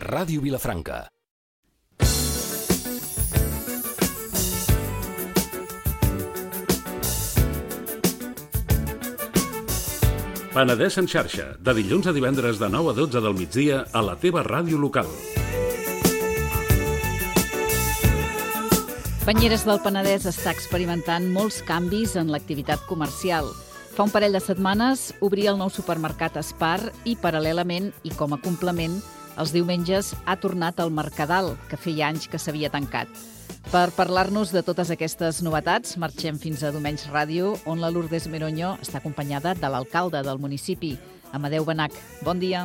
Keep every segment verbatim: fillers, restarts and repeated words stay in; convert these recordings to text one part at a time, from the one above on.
Ràdio Vilafranca. Penedès en xarxa, de dilluns a divendres de nou a dotze del migdia a la teva ràdio local. Banyeres del Penedès està experimentant molts canvis en l'activitat comercial. Fa un parell de setmanes obria el nou supermercat Espar i, paral·lelament i com a complement, els diumenges ha tornat al Mercadal, que feia anys que s'havia tancat. Per parlar-nos de totes aquestes novetats, marxem fins a Domenys Ràdio, on la Lourdes Meroño està acompanyada de l'alcalde del municipi, Amadeu Benach. Bon dia.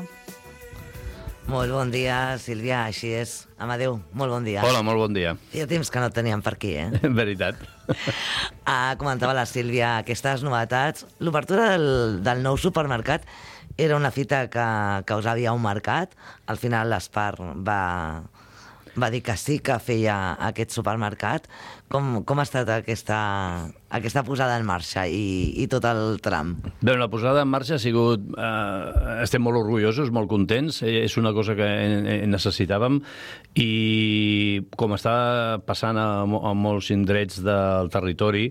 Molt bon dia, Sílvia, així és. Amadeu, molt bon dia. Hola, molt bon dia. Feia temps que no et teníem per aquí, eh? En veritat. Ah, comentava la Sílvia aquestes novetats. L'obertura del, del nou supermercat era una fita que, que us havia un mercat. Al final l'Espar va... va dir que sí que feia aquest supermercat. Com, com ha estat aquesta, aquesta posada en marxa i, i tot el tram? Bé, la posada en marxa ha sigut... Eh, estem molt orgullosos, molt contents. Eh, és una cosa que eh, necessitàvem i com està passant a, a molts indrets del territori,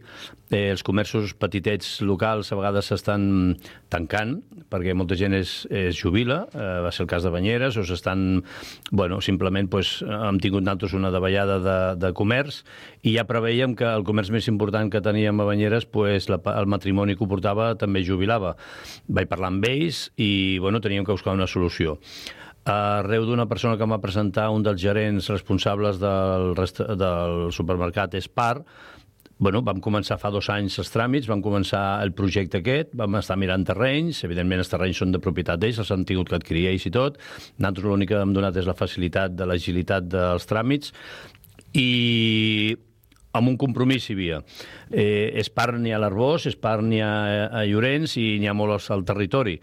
eh, els comerços petitets locals a vegades s'estan tancant perquè molta gent es, es jubila, eh, va ser el cas de Banyeres, o s'estan... Bueno, simplement pues, hem tingut nosaltres una davallada de, de comerç i ja preveiem que el comerç més important que teníem a Banyeres, pues, la, el matrimoni que ho portava també jubilava. Vaig parlar amb ells i bueno, teníem que buscar una solució. Arreu d'una persona que em va presentar un dels gerents responsables del, del supermercat Espar, bueno, vam començar fa dos anys els tràmits, vam començar el projecte aquest, vam estar mirant terrenys, evidentment els terrenys són de propietat d'ells, els han tingut que adquirir ells i tot. Nosaltres l'únic que hem donat és la facilitat de l'agilitat dels tràmits i amb un compromís hi havia. Eh, Espar n'hi ha a l'Arbós, Espar n'hi ha a Llorenç i n'hi ha molts al territori.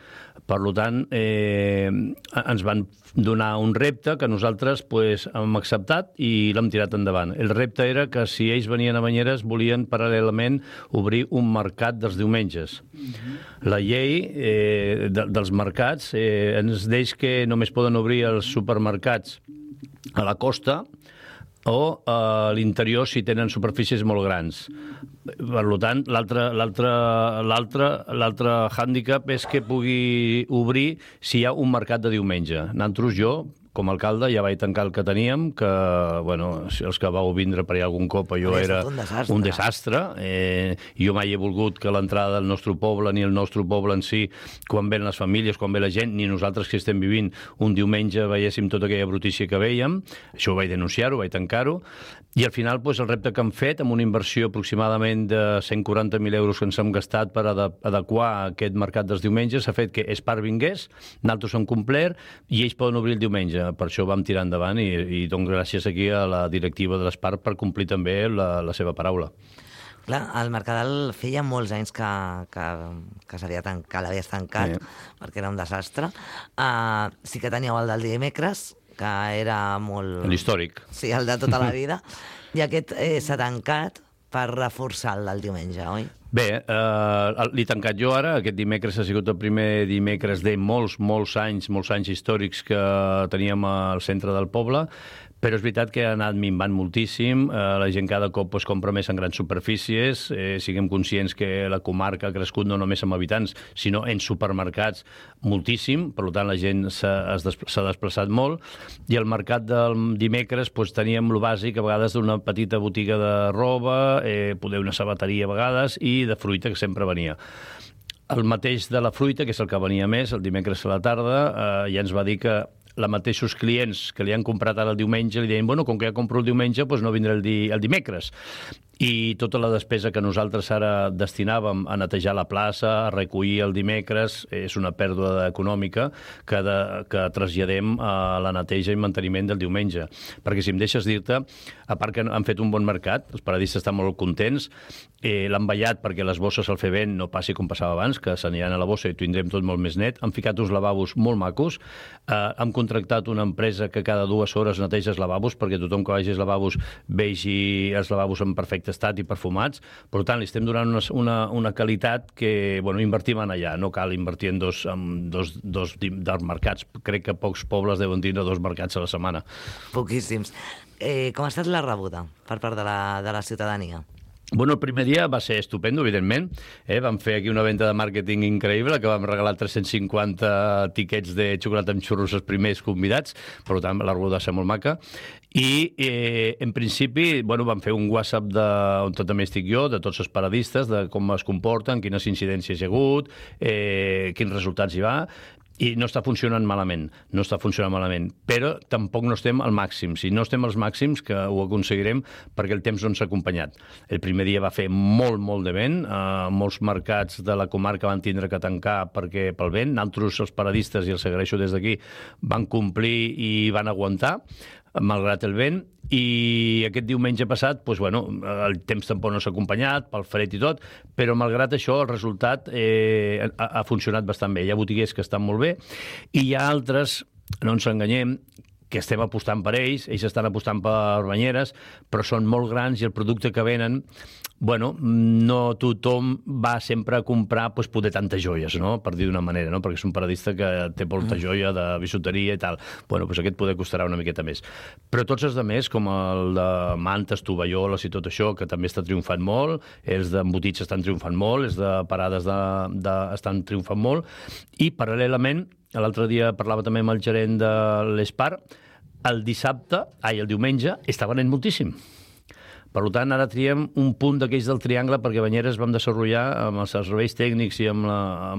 Per tant, eh, ens van donar un repte que nosaltres pues, hem acceptat i l'hem tirat endavant. El repte era que si ells venien a Banyeres volien paral·lelament obrir un mercat dels diumenges. Mm-hmm. La llei eh, de, dels mercats eh, ens deix que només poden obrir els supermercats a la costa o a l'interior si tenen superfícies molt grans. Per tant, l'altre hàndicap és que pugui obrir si hi ha un mercat de diumenge. Nosaltres, jo, com a alcalde, ja vaig tancar el que teníem, que, bueno, els que vau vindre per allà algun cop, allò era un desastre. Un desastre. Eh, jo mai he volgut que l'entrada del nostre poble, ni el nostre poble en si, quan ven les famílies, quan ve la gent, ni nosaltres que estem vivint un diumenge veiéssim tota aquella brutícia que veiem. Això ho vaig denunciar-ho, vaig tancar-ho, i al final pues, el repte que hem fet, amb una inversió aproximadament de cent quaranta mil euros que ens hem gastat per adequar aquest mercat dels diumenges, s'ha fet que Espar vingués, nosaltres hem complert, i ells poden obrir el diumenge. Per això vam tirar endavant i, i dono gràcies aquí a la directiva de l'Espar per complir també la, la seva paraula. Clar, el Mercadal feia molts anys que, que, que s'havia tancat, que l'havies tancat, sí. Perquè era un desastre. Uh, sí que teníeu el del dimecres, que era molt... L'històric. Sí, el de tota la vida. I aquest eh, s'ha tancat per reforçar el del diumenge, oi? Bé, eh, l'he tancat jo ara. Aquest dimecres ha sigut el primer dimecres de molts, molts anys, molts anys històrics que teníem al centre del poble, però és veritat que ha anat minvant moltíssim. Eh, la gent cada cop pues, compra més en grans superfícies. Eh, siguem conscients que la comarca ha crescut no només amb habitants, sinó en supermercats moltíssim. Per tant, la gent s'ha desplaçat molt. I al mercat del dimecres pues, teníem el bàsic, a vegades d'una petita botiga de roba, eh, poder una sabateria a vegades, i de fruita, que sempre venia. El mateix de la fruita, que és el que venia més, el dimecres a la tarda, eh, ja ens va dir que la mateixos clients que li han comprat ara el diumenge li deien, bueno, com que ja compro el diumenge, doncs no vindré el, di el dimecres. I tota la despesa que nosaltres ara destinàvem a netejar la plaça, a recollir el dimecres, és una pèrdua econòmica que, de, que traslladem a la neteja i manteniment del diumenge. Perquè si em deixes dir-te, a part que han fet un bon mercat, els paradistes estan molt contents, eh, l'han ballat perquè les bosses al fer vent no passi com passava abans, que s'aniran a la bossa i tindrem tot molt més net, han ficat uns lavabos molt macos, eh, hem contractat una empresa que cada dues hores neteja els lavabos, perquè tothom que vagi als lavabos vegi els lavabos en perfecte estat i perfumats. Per tant, li estem donant una, una, una qualitat que, bueno, invertim en allà. No cal invertir en dos, en dos, dos dels mercats. Crec que pocs pobles deuen tindre dos mercats a la setmana. Poquíssims. Eh, com ha estat la rebuda per part de la, de la ciutadania? Bueno, el primer dia va ser estupendo, evidentment. Eh? Vam fer aquí una venda de màrqueting increïble, que vam regalar tres-cents cinquanta tiquets de xocolata amb xurros als primers convidats, per tant, la rebuda va ser molt maca. I, eh, en principi, bueno, vam fer un WhatsApp de, on també estic jo, de tots els paradistes, de com es comporten, quines incidències hi ha hagut, eh, quins resultats hi va, i no està funcionant malament, no està funcionant malament, però tampoc no estem al màxim. Si no estem als màxims, que ho aconseguirem perquè el temps no ens ha acompanyat. El primer dia va fer molt, molt de vent, eh, molts mercats de la comarca van tindre que tancar perquè pel vent, nosaltres, els paradistes, i els agraeixo des d'aquí, van complir i van aguantar, malgrat el vent, i aquest diumenge passat, doncs, bueno, el temps tampoc no s'ha acompanyat, pel fred i tot, però malgrat això el resultat eh, ha, ha funcionat bastant bé. Hi ha botiguers que estan molt bé, i hi ha altres, no ens enganyem, que estem apostant per ells, ells estan apostant per banyeres, però són molt grans i el producte que venen, bueno, no tothom va sempre a comprar pues, poder tantes joies, no? Per dir d'una manera, no? Perquè és un paradista que té molta joia de bisuteria i tal. Bueno, pues aquest poder costarà una miqueta més. Però tots els altres, com el de mantes, tovalloles i tot això, que també està triomfant molt, els d'embotits estan triomfant molt, els de parades de, de, estan triomfant molt, i paral·lelament, l'altre dia parlava també amb el gerent de l'Espar, el dissabte, ai, el diumenge, està venent moltíssim. Per tant, ara triem un punt d'aquells del triangle perquè Banyeres vam desenvolupar amb els serveis tècnics i amb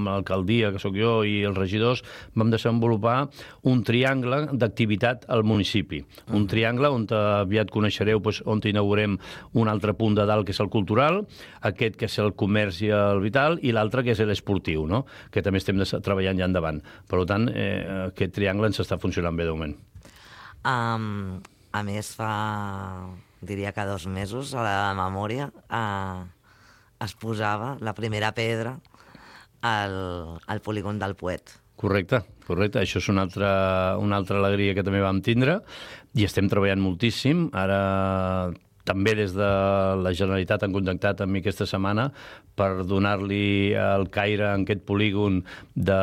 l'alcaldia, que sóc jo, i els regidors, vam desenvolupar un triangle d'activitat al municipi. Un triangle on aviat coneixereu doncs, on inaugurem un altre punt de dalt, que és el cultural, aquest que és el comerç i el vital, i l'altre que és l'esportiu, no? Que també estem treballant ja endavant. Per tant, eh, aquest triangle ens està funcionant bé de moment. Um, a més, fa... diria que dos mesos, a la memòria, eh, es posava la primera pedra al, al polígon del Poet. Correcte, correcte. Això és una altra, una altra alegria que també vam tindre i estem treballant moltíssim. Ara també des de la Generalitat han contactat amb mi aquesta setmana per donar-li el caire en aquest polígon de...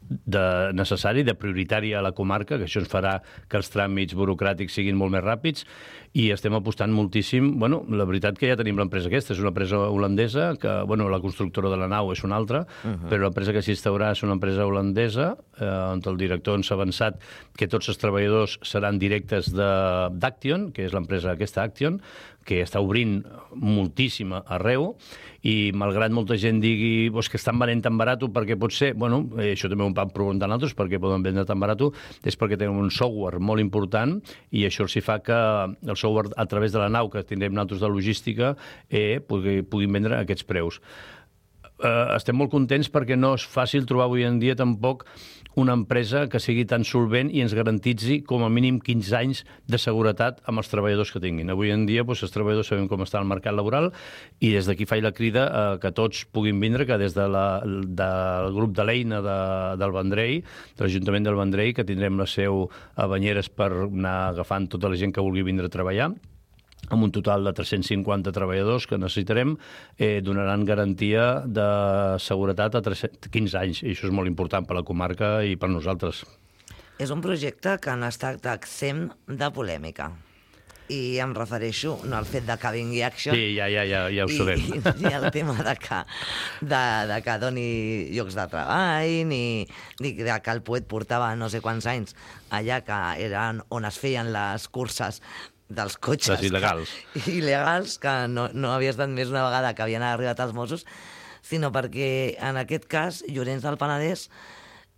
de necessari, de prioritari a la comarca, que això ens farà que els tràmits burocràtics siguin molt més ràpids, i estem apostant moltíssim. Bueno, la veritat que ja tenim l'empresa aquesta, és una empresa holandesa, que, bueno, la constructora de la nau és una altra, uh-huh. però l'empresa que s'instaurà és una empresa holandesa, eh, on el director ens ha avançat que tots els treballadors seran directes d'Action, que és l'empresa aquesta Action, que està obrint moltíssima arreu, i malgrat molta gent digui pues, que estan venent tan barat, perquè pot ser, bueno, eh, això també ho van preguntar nosaltres, perquè poden vendre tan barat, és perquè tenen un software molt important, i això s'hi fa que el software, a través de la nau que tindrem nosaltres de logística, eh, pugui, puguin vendre aquests preus. Eh, estem molt contents perquè no és fàcil trobar avui en dia tampoc una empresa que sigui tan solvent i ens garantitzi com a mínim quinze anys de seguretat amb els treballadors que tinguin. Avui en dia doncs, els treballadors sabem com està el mercat laboral, i des d'aquí faig la crida a que tots puguin vindre, que des de la, del grup de l'Eina de, del Vendrell, de l'Ajuntament del Vendrell, que tindrem la seu a Banyeres per anar agafant tota la gent que vulgui vindre a treballar, amb un total de tres-cents cinquanta treballadors que necessitarem, eh, donaran garantia de seguretat a quinze anys, i això és molt important per la comarca i per nosaltres. És un projecte que no ha estat exempt de polèmica. I em refereixo no al fet de que vingui Action... Sí, ja, ja, ja, ja ho sabem. I, ni el tema de que, de, de que doni llocs de treball, ni, ni de que el Poet portava no sé quants anys allà, que eren on es feien les curses dels cotxes... Les il·legals. Que, il·legals, que no, no havia estat més una vegada que havien arribat els Mossos, sinó perquè, en aquest cas, Llorenç del Penedès,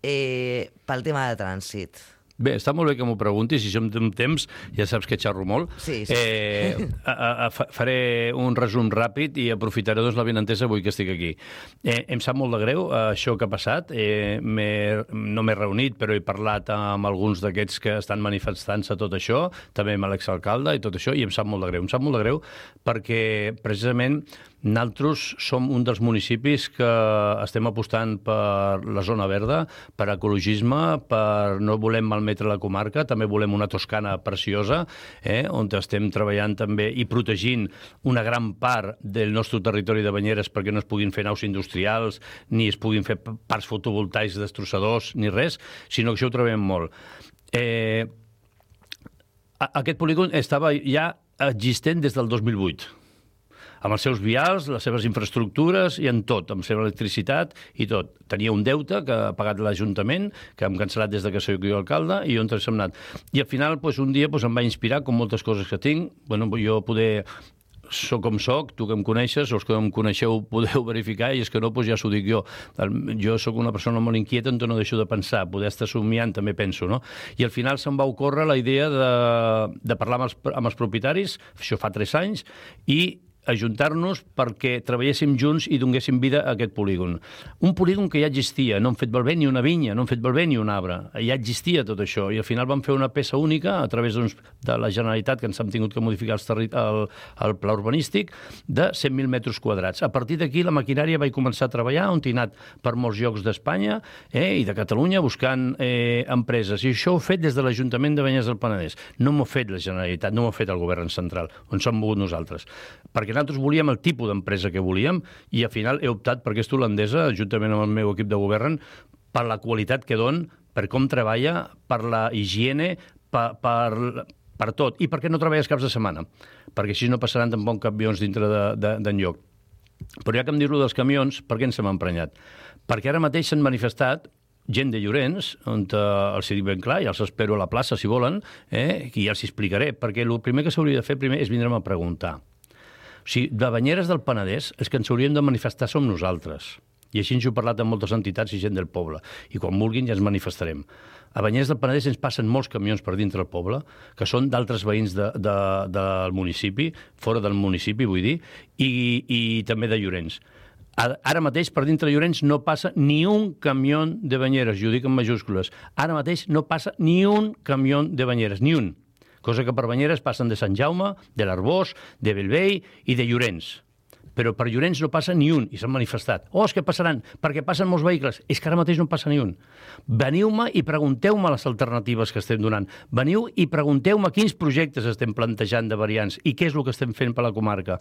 eh, pel tema de trànsit. Bé, està molt bé que m'ho preguntis, si som d'un temps, ja saps que xerro molt. Sí, sí. Eh, a, a, faré un resum ràpid i aprofitaré doncs, la benentesa avui que estic aquí. Eh, em sap molt de greu eh, això que ha passat. Eh, no m'he reunit, però he parlat amb alguns d'aquests que estan manifestant-se tot això, també amb l'exalcalde i tot això, i em sap molt de greu. Em sap molt de greu perquè, precisament, nosaltres som un dels municipis que estem apostant per la zona verda, per ecologisme, per no volem malmetre la comarca, també volem una Toscana preciosa, eh, on estem treballant també i protegint una gran part del nostre territori de Banyeres perquè no es puguin fer naus industrials, ni es puguin fer parcs fotovoltaics destrossadors, ni res, sinó que això ho treballem molt. Eh, aquest polígon estava ja existent des del dos mil vuit. Amb els seus vials, les seves infraestructures i en tot, amb la seva electricitat i tot. Tenia un deute que ha pagat l'Ajuntament, que hem cancel·lat des de que soc jo alcalde, i on hem anat. I al final, doncs, un dia doncs, em va inspirar, com moltes coses que tinc. Bueno, jo poder... Soc com soc, tu que em coneixes, els que em coneixeu podeu verificar, i és que no, doncs ja s'ho dic jo. Jo sóc una persona molt inquieta, on no deixo de pensar, poder estar somiant també penso, no? I al final se'm va ocórrer la idea de, de parlar amb els, amb els propietaris, això fa tres anys, i ajuntar-nos perquè treballéssim junts i donéssim vida a aquest polígon. Un polígon que ja existia, no hem fet malbé ni una vinya, no hem fet malbé ni un arbre, ja existia tot això, i al final vam fer una peça única a través doncs, de la Generalitat, que ens hem tingut que modificar el, el, el pla urbanístic, de cent mil metres quadrats. A partir d'aquí la maquinària va començar a treballar, on he anat per molts llocs d'Espanya eh, i de Catalunya buscant eh, empreses, i això ho he fet des de l'Ajuntament de Banyeres del Penedès. No m'ho ha fet la Generalitat, no m'ho ha fet el govern central, on som volgut nosaltres. Perquè nosaltres volíem el tipus d'empresa que volíem i al final he optat per aquesta holandesa, juntament amb el meu equip de govern, per la qualitat que don, per com treballa, per la higiene, per, per, per tot. I per què no treballes caps de setmana? Perquè així no passaran tampoc camions dintre d'enlloc. Però ja que em dir-lo dels camions, per què ens hem emprenyat? Perquè ara mateix s'han manifestat gent de Llorenç, on eh, els dic ben clar, i els espero a la plaça si volen, eh, i ja els explicaré, perquè el primer que s'hauria de fer primer és vindre'm a preguntar. O sigui, de Banyeres del Penedès, els que ens hauríem de manifestar som nosaltres. I així ens ho he parlat amb moltes entitats i gent del poble. I quan vulguin ja ens manifestarem. A Banyeres del Penedès ens passen molts camions per dintre del poble, que són d'altres veïns de, de, del municipi, fora del municipi, vull dir, i, i també de Llorenç. Ara mateix, per dintre Llorenç, no passa ni un camió de Banyeres, i ho dic en majúscules. Ara mateix no passa ni un camió de Banyeres, ni un. Cosa que per Banyeres passen de Sant Jaume, de l'Arbós, de Bellvei i de Llorenç. Però per Llorenç no passa ni un, i s'han manifestat. Oh, és que passaran, perquè passen molts vehicles. És que ara mateix no passa ni un. Veniu-me i pregunteu-me les alternatives que estem donant. Veniu i pregunteu-me quins projectes estem plantejant de variants i què és el que estem fent per la comarca.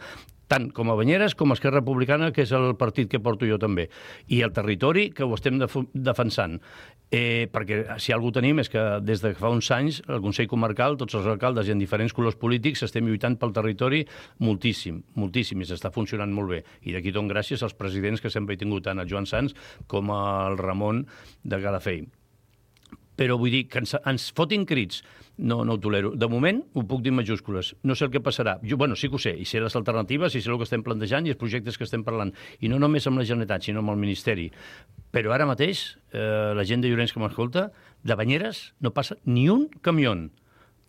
Tant com a Banyeres com a Esquerra Republicana, que és el partit que porto jo també. I el territori, que ho estem def defensant. Eh, perquè si algú tenim és que des de fa uns anys el Consell Comarcal, tots els alcaldes i en diferents colors polítics estem lluitant pel territori moltíssim, moltíssim, i s'està funcionant molt bé. I d'aquí dono gràcies als presidents que sempre he tingut, tant el Joan Sans com el Ramon de Calafell. Però vull dir que ens, ens fotin crits, no, no ho tolero. De moment ho puc dir en majúscules. No sé el que passarà. Jo, bueno, sí que ho sé, i sé les alternatives, i sé el que estem plantejant i els projectes que estem parlant. I no només amb la Generalitat, sinó amb el Ministeri. Però ara mateix, eh, la gent de Llorenç que m'escolta, de Banyeres no passa ni un camió.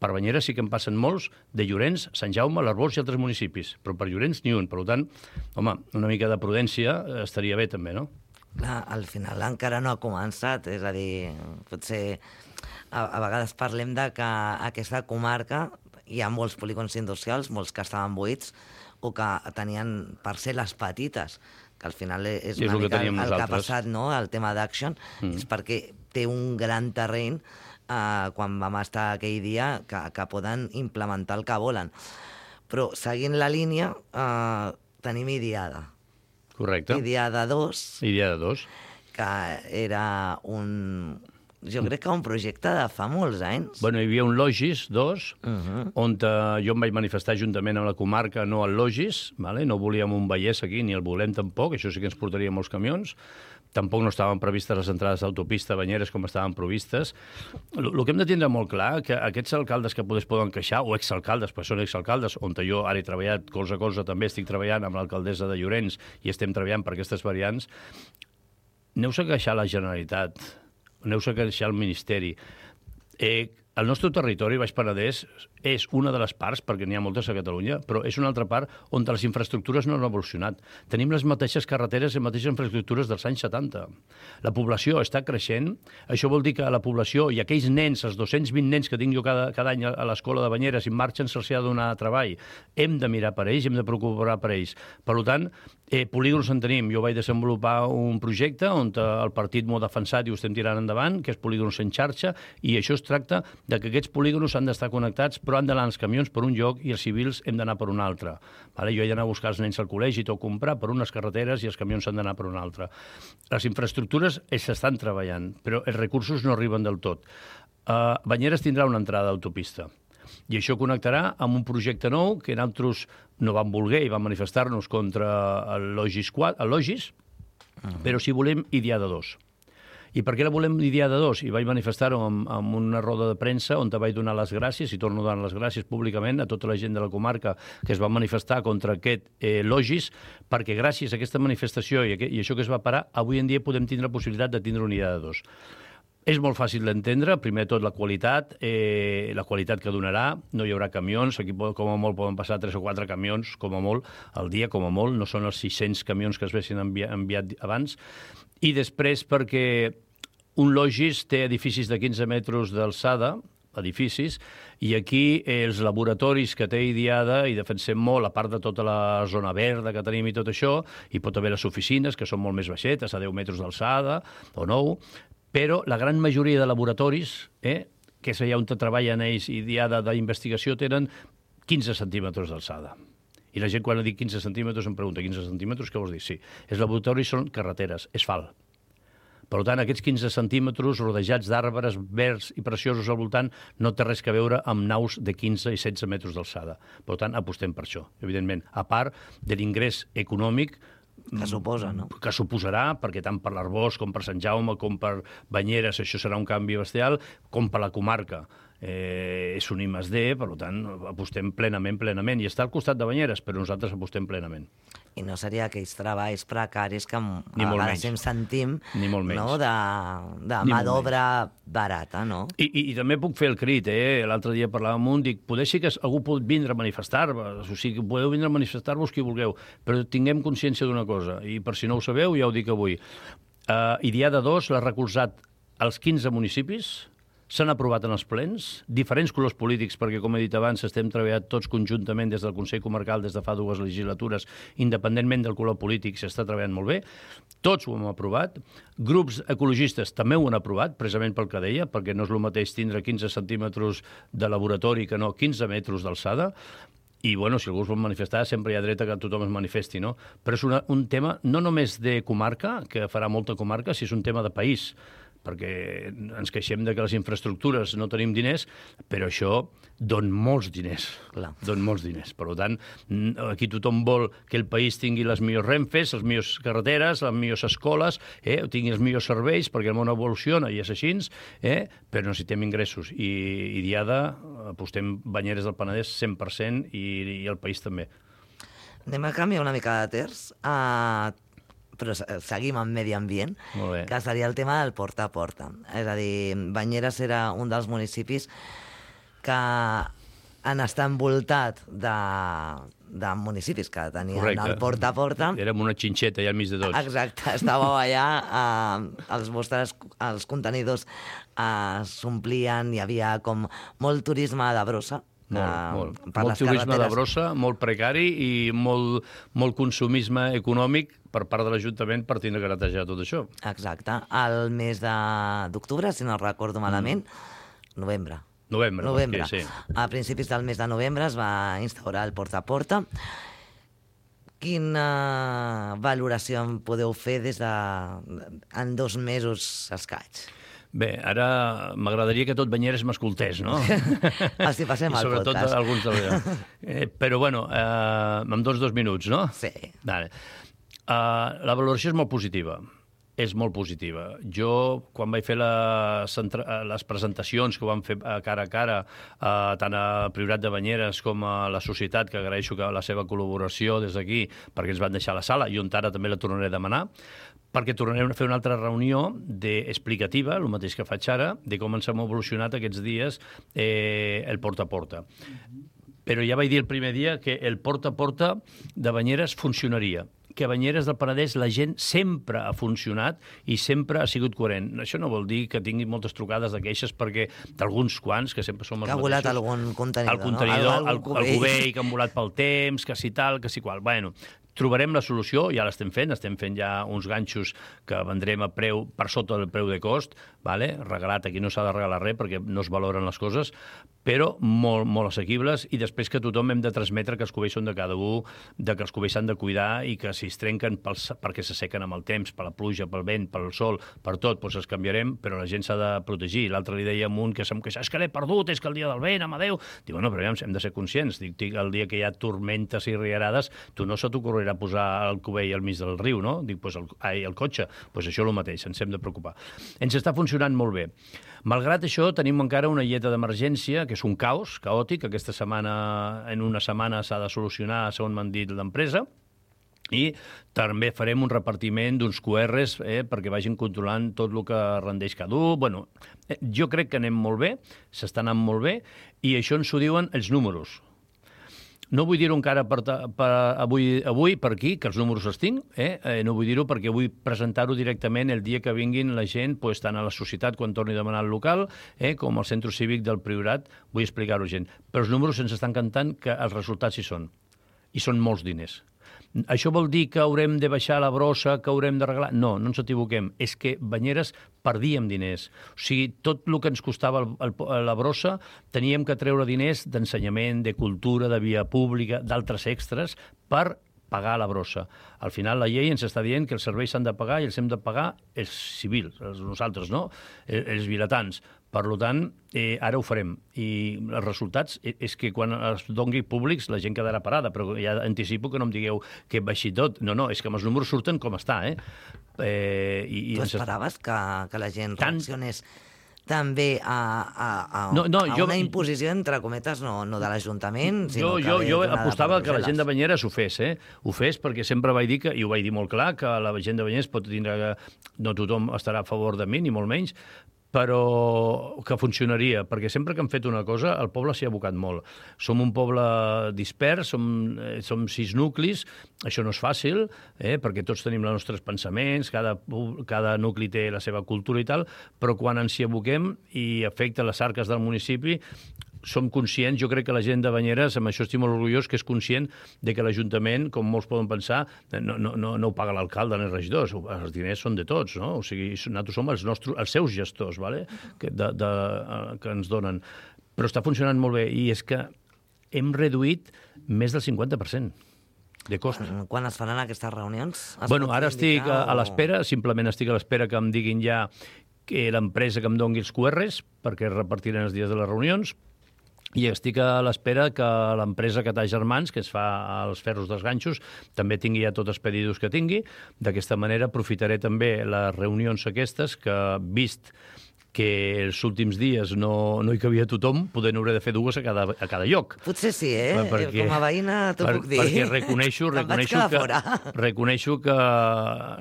Per Banyeres sí que en passen molts, de Llorenç, Sant Jaume, l'Arbós i altres municipis, però per Llorenç ni un. Per tant, home, una mica de prudència estaria bé també, no? Clar, al final encara no ha començat, és a dir, potser a, a vegades parlem de que aquesta comarca hi ha molts polígons industrials, molts que estaven buits o que tenien parcel·les petites, que al final és una mica el, el que ha passat, no?, el tema d'Action, mm. és perquè té un gran terreny eh, quan vam estar aquell dia que, que poden implementar el que volen. Però seguint la línia eh, tenim Idiada. Correcte. Idiada dos. Idiada dos. Que era un... Jo crec que un projecte de fa molts anys. Bueno, hi havia un Logis dos, uh -huh. on uh, jo em vaig manifestar juntament amb la comarca, no al Logis, vale? No volíem un Vallès aquí, ni el volem tampoc, això sí que ens portaria molts camions. Tampoc no estaven previstes les entrades d'autopista a Banyeres com estaven previstes. El que hem de tindre molt clar que aquests alcaldes que potser poden queixar, o exalcaldes, perquè són exalcaldes, on jo ara he treballat colze a colze, també estic treballant amb l'alcaldessa de Llorenç i estem treballant per aquestes variants, aneu-se a queixar a la Generalitat, aneu-se a queixar al Ministeri. Eh, el nostre territori, Baix Penedès, és una de les parts, perquè n'hi ha moltes a Catalunya, però és una altra part on les infraestructures no han evolucionat. Tenim les mateixes carreteres i les mateixes infraestructures dels anys setanta. La població està creixent, això vol dir que la població i aquells nens, els dos-cents vint nens que tinc jo cada, cada any a l'escola de Banyeres i marxen, se'ls ha de donar treball. Hem de mirar per ells, hem de preocupar per ells. Per tant, eh, polígons en tenim. Jo vaig desenvolupar un projecte on el partit m'ho ha defensat i ho estem tirant endavant, que és polígons en xarxa, i això es tracta de que aquests polígons han d'estar connectats, però han d'anar els camions per un lloc i els civils hem d'anar per un altre. Vale? Jo he d'anar a buscar els nens al col·legi i tot comprar per unes carreteres i els camions han d'anar per una altra. Les infraestructures s'estan treballant, però els recursos no arriben del tot. Uh, Banyeres tindrà una entrada d'autopista i això connectarà amb un projecte nou que nosaltres no vam voler i vam manifestar-nos contra el Logis, el Logis uh-huh. però si volem Idiada dos. I per què la volem Idiada dos? I vaig manifestar-ho amb, amb una roda de premsa on te vaig donar les gràcies, i torno a donar les gràcies públicament a tota la gent de la comarca que es va manifestar contra aquest eh, Logis, perquè gràcies a aquesta manifestació i, aquest, i això que es va parar, avui en dia podem tindre la possibilitat de tindre una Idiada dos. És molt fàcil d'entendre, primer de tot la qualitat, eh, la qualitat que donarà, no hi haurà camions, aquí com a molt poden passar tres o quatre camions, com a molt, al dia, com a molt, no són els sis-cents camions que es vessin enviat, enviat abans, i després perquè un Logis té edificis de quinze metres d'alçada, edificis, i aquí els laboratoris que té Idiada, i defensem molt, a part de tota la zona verda que tenim i tot això, hi pot haver les oficines, que són molt més baixetes, a deu metres d'alçada, o nou, però la gran majoria de laboratoris, eh, que és allà on treballen ells, Idiada d'investigació, tenen quinze centímetres d'alçada. I la gent, quan dic quinze centímetres, em pregunta, quinze centímetres, què vols dir? Sí, els laboratoris són carreteres, asfalt. Per tant, aquests quinze centímetres rodejats d'arbres verds i preciosos al voltant no té res a veure amb naus de quinze i setze metres d'alçada. Per tant, apostem per això, evidentment. A part de l'ingrés econòmic que suposa, no? Que suposarà, perquè tant per l'Arboç com per Sant Jaume com per Banyeres això serà un canvi bestial, com per la comarca. Eh, és un I més D, per tant, apostem plenament, plenament. I està al costat de Banyeres, però nosaltres apostem plenament. I no seria aquells treballs precaris que a vegades em sentim, no?, de, de mà d'obra barata, no? I, i, I també puc fer el crit, eh? L'altre dia parlàvem amb un, dic, poder sí que algú pot vindre a manifestar-vos, o sigui, podeu vindre a manifestar-vos qui vulgueu, però tinguem consciència d'una cosa, i per si no ho sabeu, ja ho dic avui. Uh, Idiada dos l'ha recolzat als quinze municipis, s'han aprovat en els plens, diferents colors polítics, perquè, com he dit abans, estem treballant tots conjuntament des del Consell Comarcal des de fa dues legislatures, independentment del color polític, s'està treballant molt bé. Tots ho hem aprovat. Grups ecologistes també ho han aprovat, precisament pel que deia, perquè no és el mateix tindre quinze centímetres de laboratori que no quinze metres d'alçada. I, bueno, si algú es vol manifestar, sempre hi ha dret a que tothom es manifesti, no? Però és una, un tema no només de comarca, que farà molta comarca, si és un tema de país, perquè ens queixem de que les infraestructures no tenim diners, però això don molts diners. Clar. Don molts diners. Per tant, aquí tothom vol que el país tingui les millors renfes, les millors carreteres, les millors escoles, eh, tingui els millors serveis, perquè el món evoluciona i és així, eh, però necessitem ingressos. I Idiada, apostem Banyeres del Penedès cent per cent i, i el país també. Anem a canviar una mica de terç. Uh, però seguim amb medi ambient, que seria el tema del porta a porta. És a dir, Banyeres era un dels municipis que han estat envoltat de, de municipis que tenien Correcte. El porta a porta. Érem una xinxeta allà al mig de tots. Exacte, estàveu allà, eh, els vostres els contenidors eh, s'omplien, hi havia com molt turisme de brossa. Molt, uh, molt. Molt turisme de brossa, molt precari i molt, molt consumisme econòmic per part de l'Ajuntament per tindre que netejar tot això. Exacte. El mes d'octubre, si no recordo malament, mm. novembre. Novembre, novembre. Sí. A principis del mes de novembre es va instaurar el porta a porta. Quina valoració en podeu fer des de en dos mesos escaig? Bé, ara m'agradaria que tot Banyeres m'escoltés, no? Els hi passem al podcast. Sobretot alguns de... Eh, però, bueno, eh, em dones dos minuts, no? Sí. Vale. Uh, la valoració és molt positiva. és molt positiva. Jo, quan vaig fer les, les presentacions que ho vam fer cara a cara, eh, tant a Priorat de Banyeres com a la societat, que agraeixo que la seva col·laboració des d'aquí, perquè ens van deixar a la sala, i on ara també la tornaré a demanar, perquè tornarem a fer una altra reunió de, explicativa, el mateix que faig ara, de com ens hem evolucionat aquests dies eh, el porta a porta. Però ja vaig dir el primer dia que el porta a porta de Banyeres funcionaria, que a Banyeres del Penedès la gent sempre ha funcionat i sempre ha sigut coherent. Això no vol dir que tingui moltes trucades de queixes, perquè d'alguns quants, que sempre som els mateixos... Que ha volat algun contenidor, el contenidor, no? El, el, el cubell, que han volat pel temps, que si tal, que si qual. Bueno, trobarem la solució, ja l'estem fent, estem fent ja uns ganxos que vendrem a preu per sota del preu de cost, vale? Regalat, aquí no s'ha de regalar res perquè no es valoren les coses, però molt, molt assequibles, i després que tothom hem de transmetre que els cubells són de cada un, de que els cubells s'han de cuidar i que si es trenquen pels, perquè s'assequen amb el temps, per la pluja, pel vent, pel sol, per tot, doncs els canviarem, però la gent s'ha de protegir. L'altre li deia a un que se'm queixava, és que l'he perdut, és que el dia del vent, amadeu. Dic, bueno, però ja hem de ser conscients. Dic, dic, el dia que hi ha tormentes i riarades, tu no se t'ocorrerà posar el cubell al mig del riu, no? Dic, doncs el, ai, el cotxe, doncs això és el mateix, ens hem de preocupar. Ens està funcionant molt bé. Malgrat això, tenim encara una lleta d'emergència, que és un caos caòtic. Aquesta setmana, en una setmana s'ha de solucionar, segons m'han dit l'empresa, i també farem un repartiment d'uns Q Rs eh, perquè vagin controlant tot el que rendeix cada un. Bueno, eh, jo crec que anem molt bé, s'està anant molt bé, i això ens ho diuen els números. No vull dir-ho encara per, per avui, avui per aquí, que els números els tinc, eh? Eh, no vull dir-ho perquè vull presentar-ho directament el dia que vinguin la gent, pues, tant a la societat quan torni a demanar el local, eh? com al centre cívic del Priorat, vull explicar-ho gent. Però els números ens estan cantant que els resultats hi són, i són molts diners. Això vol dir que haurem de baixar la brossa, que haurem d'arreglar? No, no ens equivoquem. És que Banyeres perdíem diners. O sigui, tot el que ens costava el, el, la brossa teníem que treure diners d'ensenyament, de cultura, de via pública, d'altres extras, per pagar la brossa. Al final la llei ens està dient que els serveis s'han de pagar i els hem de pagar els civils, els nosaltres, no? Els vilatans. Per tant, eh, ara ho farem. I els resultats és que quan es doni públics la gent quedarà parada, però ja anticipo que no em digueu que baixi tot. No, no, és que amb els números surten com està, eh? eh i, i tu ens... esperaves que, que la gent Tant... reaccionés també a, a, a, no, no, a jo... una imposició, entre cometes, no, no de l'Ajuntament, sinó jo, que jo, jo ve donada apostava per que la gent de Brussel·les. Banyeres ho fes, eh? Ho fes perquè sempre vaig dir, que, i ho vaig dir molt clar, que la gent de Banyeres pot tindre... No tothom estarà a favor de mi, ni molt menys, però que funcionaria, perquè sempre que hem fet una cosa el poble s'hi ha abocat molt. Som un poble dispers, som, eh, som sis nuclis, això no és fàcil, eh, perquè tots tenim els nostres pensaments, cada, cada nucli té la seva cultura i tal, però quan ens hi aboquem i afecta les arques del municipi, som conscients, jo crec que la gent de Banyeres, amb això estic molt orgullós, que és conscient de que l'Ajuntament, com molts poden pensar, no, no, no, no ho paga l'alcalde ni els regidors, els diners són de tots, no? O sigui, nosaltres som els, nostres, els seus gestors, vale? que, de, de, que ens donen. Però està funcionant molt bé, i és que hem reduït més del cinquanta per cent de cost. Quan es faran aquestes reunions? Bueno, ara estic a, a o... l'espera, simplement estic a l'espera que em diguin ja que l'empresa que em doni els Q Rs, perquè repartiran els dies de les reunions, i estic a l'espera que l'empresa Catà Germans, que es fa els ferros dels ganxos, també tingui ja tots els pedidos que tingui. D'aquesta manera aprofitaré també les reunions aquestes, que vist que els últims dies no, no hi cabia tothom, poder n'hauré de fer dues a cada, a cada lloc. Potser sí, eh? Perquè, com a veïna t'ho puc dir. Perquè reconeixo, reconeixo, que, reconeixo que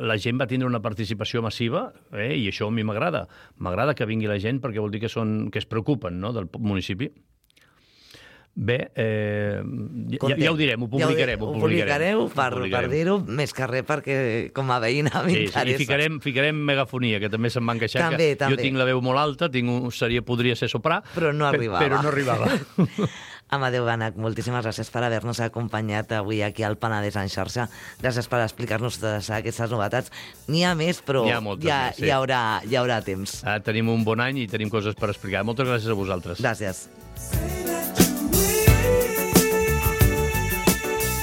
la gent va tindre una participació massiva, eh? I això a mi m'agrada. M'agrada que vingui la gent perquè vol dir que, són, que es preocupen, no?, del municipi. Bé, eh, ja, ja ho direm, ho publicarem. Ja ho, ho publicareu per, per dir-ho, més que res perquè com a veïna m'interessa. Sí, sí, i ficarem, ficarem megafonia, que també se'n van queixar, també, que també. Jo tinc la veu molt alta, tinc un, seria, podria ser soprà, però no arribava. Però no arribava. Amadeu Bànech, moltíssimes gràcies per haver-nos acompanyat avui aquí al Penedès en xarxa. Gràcies per explicar-nos totes aquestes novetats. N'hi ha més, però hi ha, moltes, ja, sí. hi, haurà, hi haurà temps. Ah, tenim un bon any i tenim coses per explicar. Moltes gràcies a vosaltres. Gràcies.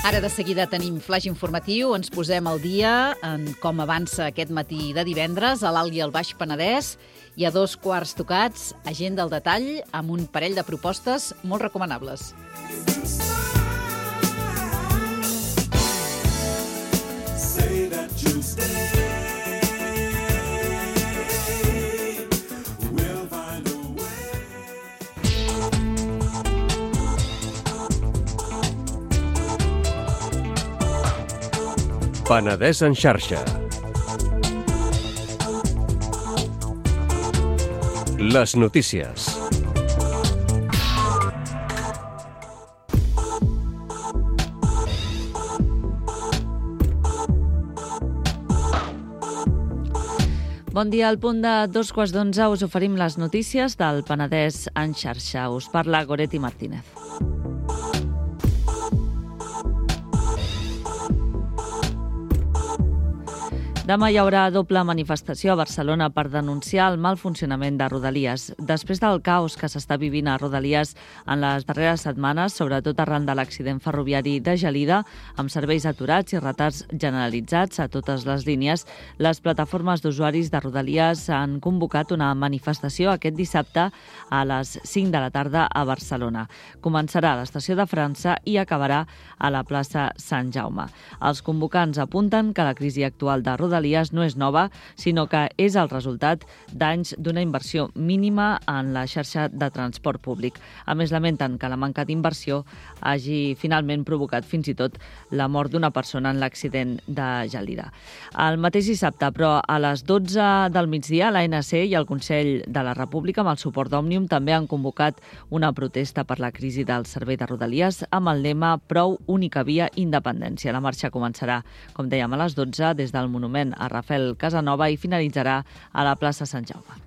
Ara de seguida tenim flash informatiu, ens posem al dia en com avança aquest matí de divendres a l'Alt i al Baix Penedès. Hi ha dos quarts tocats, agenda al detall, amb un parell de propostes molt recomanables. Say that you stay. Penedès en xarxa. Les notícies. Bon dia, al punt de dos quarts d'onze us oferim les notícies del Penedès en xarxa. Us parla Goretti Martínez. Demà hi haurà doble manifestació a Barcelona per denunciar el mal funcionament de Rodalies. Després del caos que s'està vivint a Rodalies en les darreres setmanes, sobretot arran de l'accident ferroviari de Gelida, amb serveis aturats i retards generalitzats a totes les línies, les plataformes d'usuaris de Rodalies han convocat una manifestació aquest dissabte a les cinc de la tarda a Barcelona. Començarà a l'estació de França i acabarà a la plaça Sant Jaume. Els convocants apunten que la crisi actual de Rodalies Rodalies no és nova, sinó que és el resultat d'anys d'una inversió mínima en la xarxa de transport públic. A més, lamenten que la manca d'inversió hagi finalment provocat fins i tot la mort d'una persona en l'accident de Gelida. El mateix dissabte, però a les dotze del migdia, l'A N C i el Consell de la República, amb el suport d'Òmnium, també han convocat una protesta per la crisi del servei de Rodalies amb el lema Prou, única via, independència. La marxa començarà, com dèiem, a les dotze des del Monument a Rafael Casanova i finalitzarà a la plaça Sant Jaume.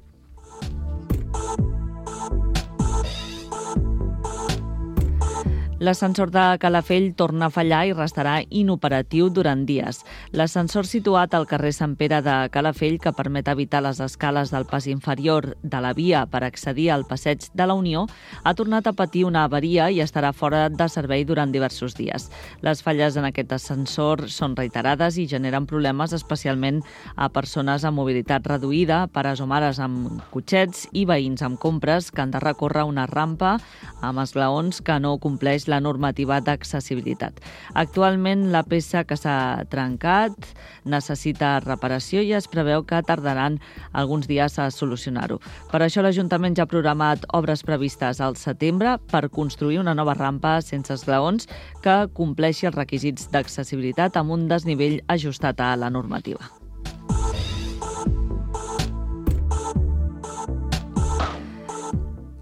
L'ascensor de Calafell torna a fallar i restarà inoperatiu durant dies. L'ascensor situat al carrer Sant Pere de Calafell, que permet evitar les escales del pas inferior de la via per accedir al passeig de la Unió, ha tornat a patir una avaria i estarà fora de servei durant diversos dies. Les falles en aquest ascensor són reiterades i generen problemes especialment a persones amb mobilitat reduïda, pares o mares amb cotxets i veïns amb compres que han de recórrer una rampa amb esglaons que no compleix la normativa d'accessibilitat. Actualment, la peça que s'ha trencat necessita reparació i es preveu que tardaran alguns dies a solucionar-ho. Per això l'Ajuntament ja ha programat obres previstes al setembre per construir una nova rampa sense esglaons que compleixi els requisits d'accessibilitat amb un desnivell ajustat a la normativa.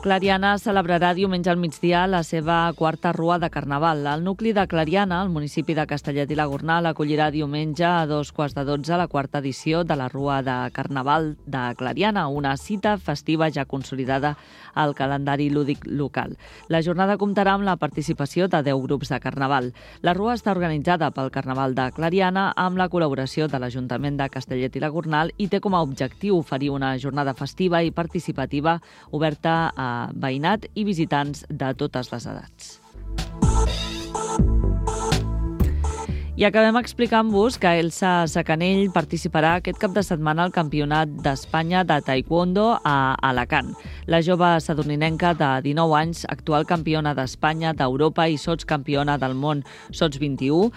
Clariana celebrarà diumenge al migdia la seva quarta rua de Carnaval. El nucli de Clariana, al municipi de Castellet i la Gornal, acollirà diumenge a dos quarts de dotze la quarta edició de la Rua de Carnaval de Clariana, una cita festiva ja consolidada al calendari lúdic local. La jornada comptarà amb la participació de deu grups de Carnaval. La rua està organitzada pel Carnaval de Clariana amb la col·laboració de l'Ajuntament de Castellet i la Gornal i té com a objectiu oferir una jornada festiva i participativa oberta a veïnat i visitants de totes les edats. I acabem explicant-vos que Elsa Sacanell participarà aquest cap de setmana al Campionat d'Espanya de Taekwondo a Alacant. La jove sadurninenca de dinou anys, actual campiona d'Espanya, d'Europa i sotscampiona del món sots vint-i-u,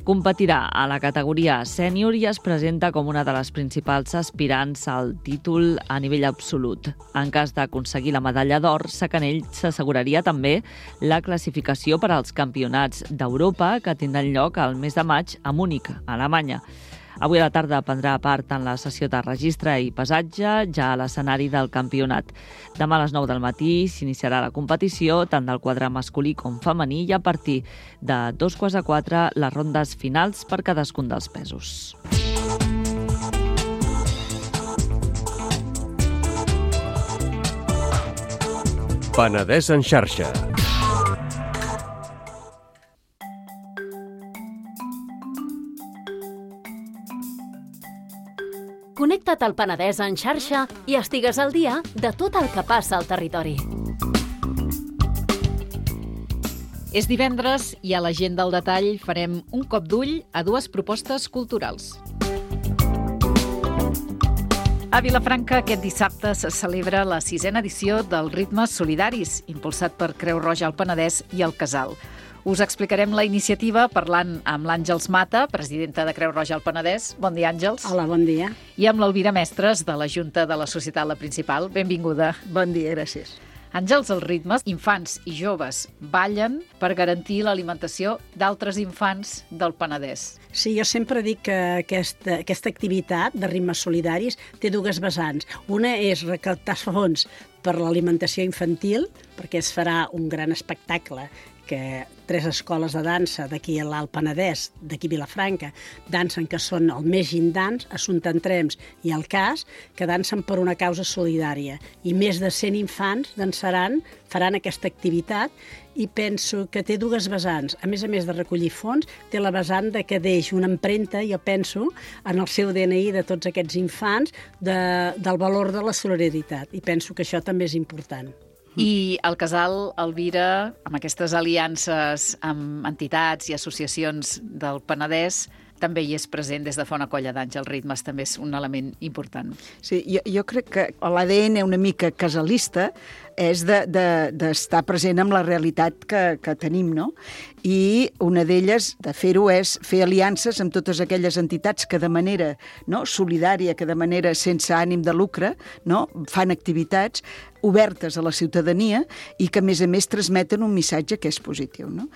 competirà a la categoria sènior i es presenta com una de les principals aspirants al títol a nivell absolut. En cas d'aconseguir la medalla d'or, Sacanell s'asseguraria també la classificació per als campionats d'Europa que tindran lloc al mes de maig a Múnich, a Alemanya. Avui a la tarda prendrà part en la sessió de registre i pesatge, ja a l'escenari del campionat. Demà a les nou del matí s'iniciarà la competició, tant del quadre masculí com femení, i a partir de dos quarts de quatre les rondes finals per cadascun dels pesos. Penedès en xarxa. Connecta't al Penedès en xarxa i estigues al dia de tot el que passa al territori. És divendres i a l'Agenda al detall farem un cop d'ull a dues propostes culturals. A Vilafranca aquest dissabte se celebra la sisena edició dels Ritmes Solidaris, impulsat per Creu Roja al Penedès i el Casal. Us explicarem la iniciativa parlant amb l'Àngels Mata, presidenta de Creu Roja al Penedès. Bon dia, Àngels. Hola, bon dia. I amb l'Elvira Mestres, de la Junta de la Societat La Principal. Benvinguda. Bon dia, gràcies. Àngels, els ritmes, infants i joves ballen per garantir l'alimentació d'altres infants del Penedès. Sí, jo sempre dic que aquesta, aquesta activitat de ritmes solidaris té dues vessants. Una és recaptar fons per l'alimentació infantil, perquè es farà un gran espectacle que tres escoles de dansa d'aquí a l'Alt Penedès, d'aquí a Vilafranca, dansen, que són el Més Gindans, Assumpta Entrems i el Cas, que dansen per una causa solidària. I més de cent infants dansaran, faran aquesta activitat, i penso que té dues vessants. A més a més de recollir fons, té la vessant de que deix una empremta, jo penso, en el seu D N I de tots aquests infants, de, del valor de la solidaritat. I penso que això també és important. I el casal Elvira, amb aquestes aliances amb entitats i associacions del Penedès, també hi és present des de fa una colla d'anys. Els ritmes també és un element important. Sí, jo, jo crec que l'A D N una mica casalista és d'estar de, de, present amb la realitat que, que tenim, no? I una d'elles, de fer-ho, és fer aliances amb totes aquelles entitats que de manera no, solidària, que de manera sense ànim de lucre, no, fan activitats obertes a la ciutadania i que, a més a més, transmeten un missatge que és positiu. No?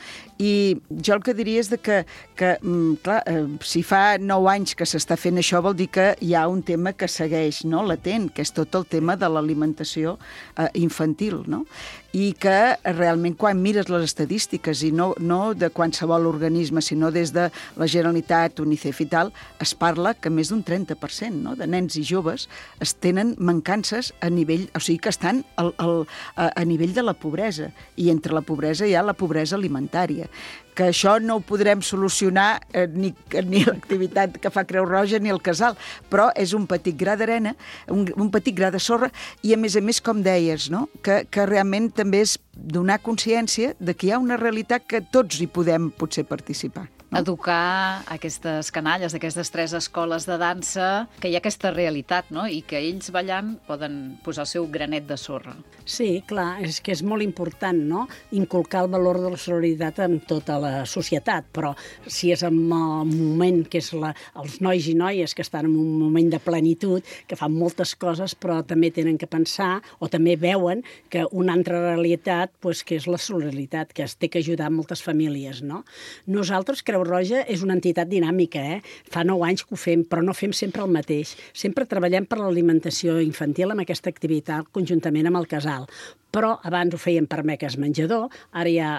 I jo el que diria és de que, que clar, si fa nou anys que s'està fent això, vol dir que hi ha un tema que segueix no, latent, que és tot el tema de l'alimentació eh, infantil, no? I que realment quan mires les estadístiques, i no, no de qualsevol organisme, sinó des de la Generalitat, UNICEF i tal, es parla que més d'un trenta per cent no, de nens i joves es tenen mancances a nivell, o sigui que estan al, al, a, a nivell de la pobresa, i entre la pobresa hi ha la pobresa alimentària, que això no ho podrem solucionar eh, ni, ni l'activitat que fa Creu Roja ni el casal, però és un petit gra d'arena, un, un petit gra de sorra, i a més a més, com deies, no? que, que realment també és donar consciència de que hi ha una realitat que tots hi podem potser participar. No? Educar aquestes canalles, aquestes tres escoles de dansa, que hi ha aquesta realitat, no? I que ells ballant poden posar el seu granet de sorra. Sí, clar, és que és molt important, no?, inculcar el valor de la solidaritat en tota la societat, però si és en el moment que és la, els nois i noies que estan en un moment de plenitud, que fan moltes coses, però també tenen que pensar, o també veuen que una altra realitat, pues, que és la solidaritat, que es té que ajudar moltes famílies, no? Nosaltres, Creu Roja és una entitat dinàmica, eh? Fa nou anys que ho fem, però no fem sempre el mateix. Sempre treballem per l'alimentació infantil amb aquesta activitat conjuntament amb el casal. Però abans ho fèiem per beques menjador, ara ja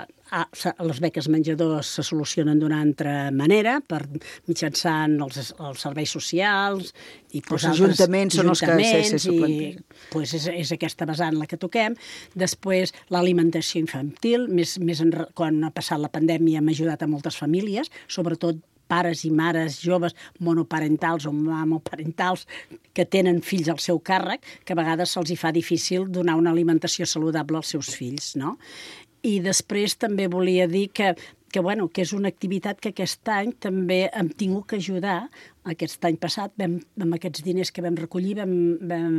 les beques menjador se solucionen d'una altra manera, per mitjançant els, els serveis socials i els ajuntaments són els que se suplanten. Pues és, és aquesta vessant la que toquem. Després, l'alimentació infantil, més, més en, quan ha passat la pandèmia hem ajudat a moltes famílies, sobretot pares i mares joves monoparentals o mamoparentals que tenen fills al seu càrrec, que a vegades se'ls hi fa difícil donar una alimentació saludable als seus fills, no? I després també volia dir que, que, bueno, que és una activitat que aquest any també hem tingut que ajudar. Aquest any passat, vam, amb aquests diners que vam recollir, vam, vam,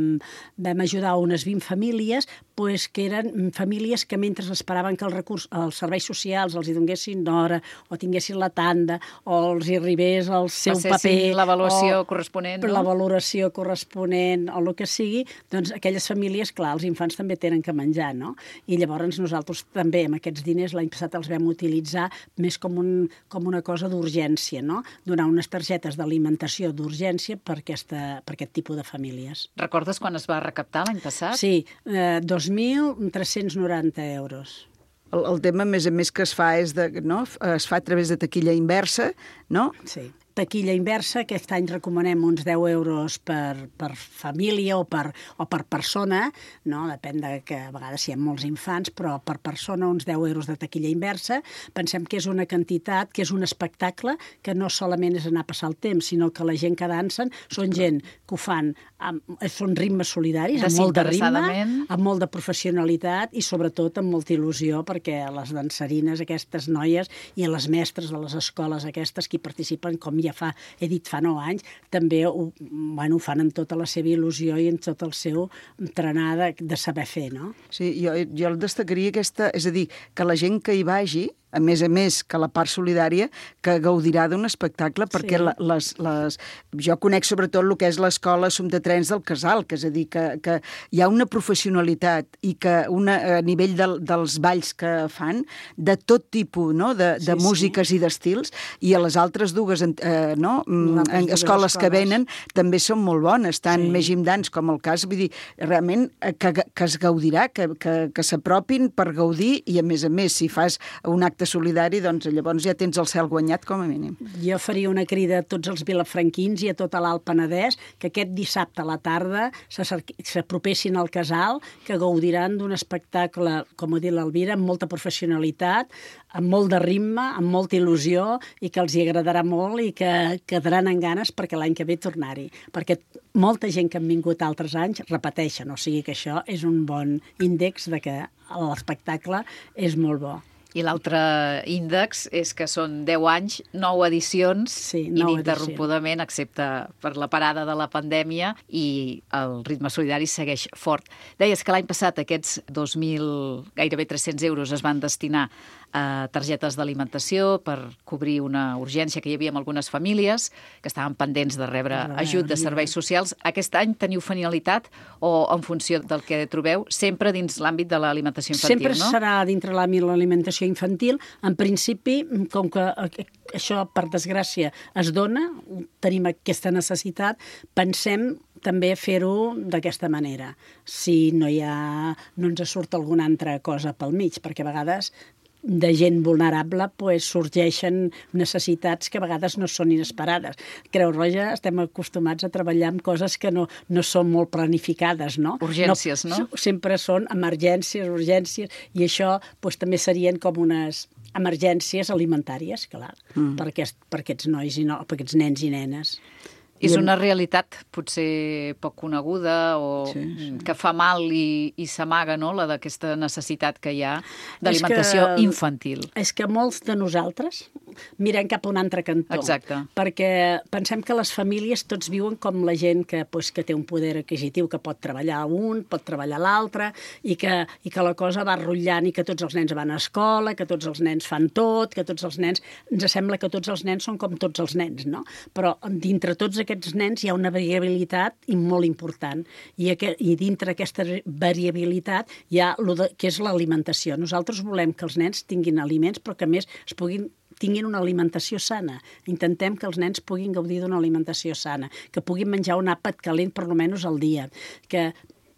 vam ajudar unes vint famílies, pues, que eren famílies que mentre esperaven que els, recurs, els serveis socials els hi donguessin hora, o tinguessin la tanda, o els hi arribés el seu paper, l'avaluació corresponent, no? La valoració corresponent, o el que sigui, doncs aquelles famílies, clar, els infants també tenen que menjar, no? I llavors nosaltres també amb aquests diners l'any passat els vam utilitzar més com, un, com una cosa d'urgència, no? Donar unes targetes d'alimentació d'urgència per, aquesta, per aquest tipus de famílies. Recordes quan es va recaptar l'any passat? Sí, eh, dos mil tres-cents noranta euros. El, el tema, a més a més, que es fa és de, no? Es fa a través de taquilla inversa, no? Sí. Taquilla inversa, aquest any recomanem uns deu euros per, per família o per, o per persona, no? Depèn de que a vegades hi ha molts infants, però per persona uns deu euros de taquilla inversa. Pensem que és una quantitat, que és un espectacle, que no solament és anar a passar el temps, sinó que la gent que dansen són gent que ho fan, amb, són ritmes solidaris, amb molt de ritme, amb molt de professionalitat i sobretot amb molta il·lusió, perquè les dansarines, aquestes noies, i les mestres de les escoles aquestes que hi participen, com ja fa, he dit fa nou anys, també ho, bueno, ho fan amb tota la seva il·lusió i amb tot el seu entrenar de, de saber fer, no? Sí, jo, jo el destacaria aquesta, és a dir, que la gent que hi vagi a més a més que la part solidària, que gaudirà d'un espectacle, perquè Sí. la, les, les... jo conec sobretot el que és l'escola Assumpta Trens del Casal, que és a dir, que, que hi ha una professionalitat i que una, a nivell del, dels balls que fan, de tot tipus, no? de, de Sí, músiques sí. i d'estils, i a les altres dues eh, no? Mm, altres en dues escoles que escoles. venen també són molt bones, tant Sí. més gimdans com el cas, vull dir, realment eh, que, que es gaudirà, que, que, que s'apropin per gaudir, i a més a més, si fas un acte solidari, doncs llavors ja tens el cel guanyat com a mínim. Jo faria una crida a tots els vilafranquins i a tot l'Alt Penedès que aquest dissabte a la tarda s'acerqui- s'apropessin al casal, que gaudiran d'un espectacle, com ho dit l'Elvira, amb molta professionalitat, amb molt de ritme, amb molta il·lusió, i que els hi agradarà molt i que quedaran en ganes perquè l'any que ve tornar-hi. Perquè molta gent que han vingut altres anys repeteixen, o sigui que això és un bon índex de que l'espectacle és molt bo. I l'altre índex és que són deu anys, nou edicions, Sí, nou ininterrompudament, excepte per la parada de la pandèmia, i el ritme solidari segueix fort. Deies que l'any passat aquests dos mil, gairebé tres-cents euros es van destinar a targetes d'alimentació per cobrir una urgència que hi havia en algunes famílies que estaven pendents de rebre De rebre ajut de serveis socials. Aquest any teniu finalitat o en funció del que trobeu, sempre dins l'àmbit de l'alimentació infantil, Sempre no? serà dintre l'àmbit de l'alimentació infantil. En principi, com que això, per desgràcia, es dona, tenim aquesta necessitat, pensem també fer-ho d'aquesta manera. Si no hi ha, no ens surt alguna altra cosa pel mig, perquè a vegades de gent vulnerable pues, sorgeixen necessitats que a vegades no són inesperades. Creu Roja estem acostumats a treballar amb coses que no, no són molt planificades, no? Urgències, no? Sempre són emergències, urgències, i això pues, també serien com unes emergències alimentàries, clar, mm. per, aquest, per aquests nois i no, per aquests nens i nenes. És una realitat potser poc coneguda o sí, sí. que fa mal i, i s'amaga, no?, la d'aquesta necessitat que hi ha d'alimentació És que- infantil. És que molts de nosaltres mirem cap a un altre cantó. Exacte. Perquè pensem que les famílies tots viuen com la gent que, pues, que té un poder adquisitiu, que pot treballar un, pot treballar l'altre, i que, i que la cosa va rotllant i que tots els nens van a escola, que tots els nens fan tot, que tots els nens... Ens sembla que tots els nens són com tots els nens, no? Però dintre tots aquests nens hi ha una variabilitat i molt important. I, aquest, i dintre aquesta variabilitat hi ha lo de, que és l'alimentació. Nosaltres volem que els nens tinguin aliments, però que a més es puguin tinguin una alimentació sana. Intentem que els nens puguin gaudir d'una alimentació sana, que puguin menjar un àpat calent per almenys al dia, que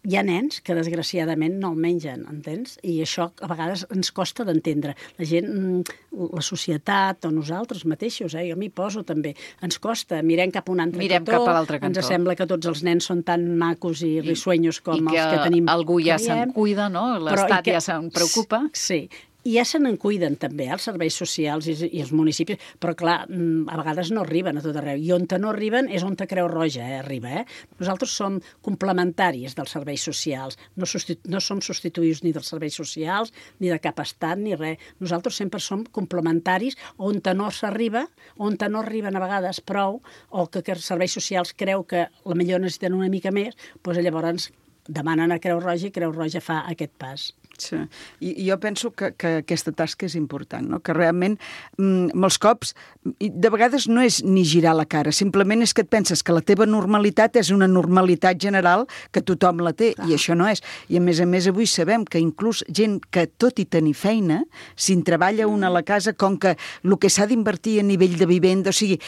hi ha nens que desgraciadament no el mengen, entens? I això a vegades ens costa d'entendre. La gent, la societat o nosaltres mateixos, eh? Jo m'hi poso també, ens costa, mirem cap a un altre Mirem cantó, cap a l'altre cantó. ens sembla que tots els nens són tan macos i risueños com I els que tenim. que algú ja que se'n veiem, cuida, no? però i L'Estat que- ja se'n preocupa. Sí, i ja se n'en cuiden també, eh, els serveis socials i, i els municipis, però clar, a vegades no arriben a tot arreu. I on no arriben és on Creu Roja eh, arriba. Eh? Nosaltres som complementaris dels serveis socials, no, substitu no som substituïts ni dels serveis socials, ni de cap estat, ni res. Nosaltres sempre som complementaris on no s'arriba, on no arriben a vegades prou, o que, que els serveis socials creu que la millor necessiten una mica més, doncs llavors demanen a Creu Roja i Creu Roja fa aquest pas. Sí. I jo penso que, que aquesta tasca és important, no? Que realment, mm, molts cops, de vegades no és ni girar la cara, simplement és que et penses que la teva normalitat és una normalitat general que tothom la té, ah. i això no és. I a més a més avui sabem que inclús gent que tot i tenir feina, si en treballa una a la casa, com que el que s'ha d'invertir a nivell de vivenda, o sigui,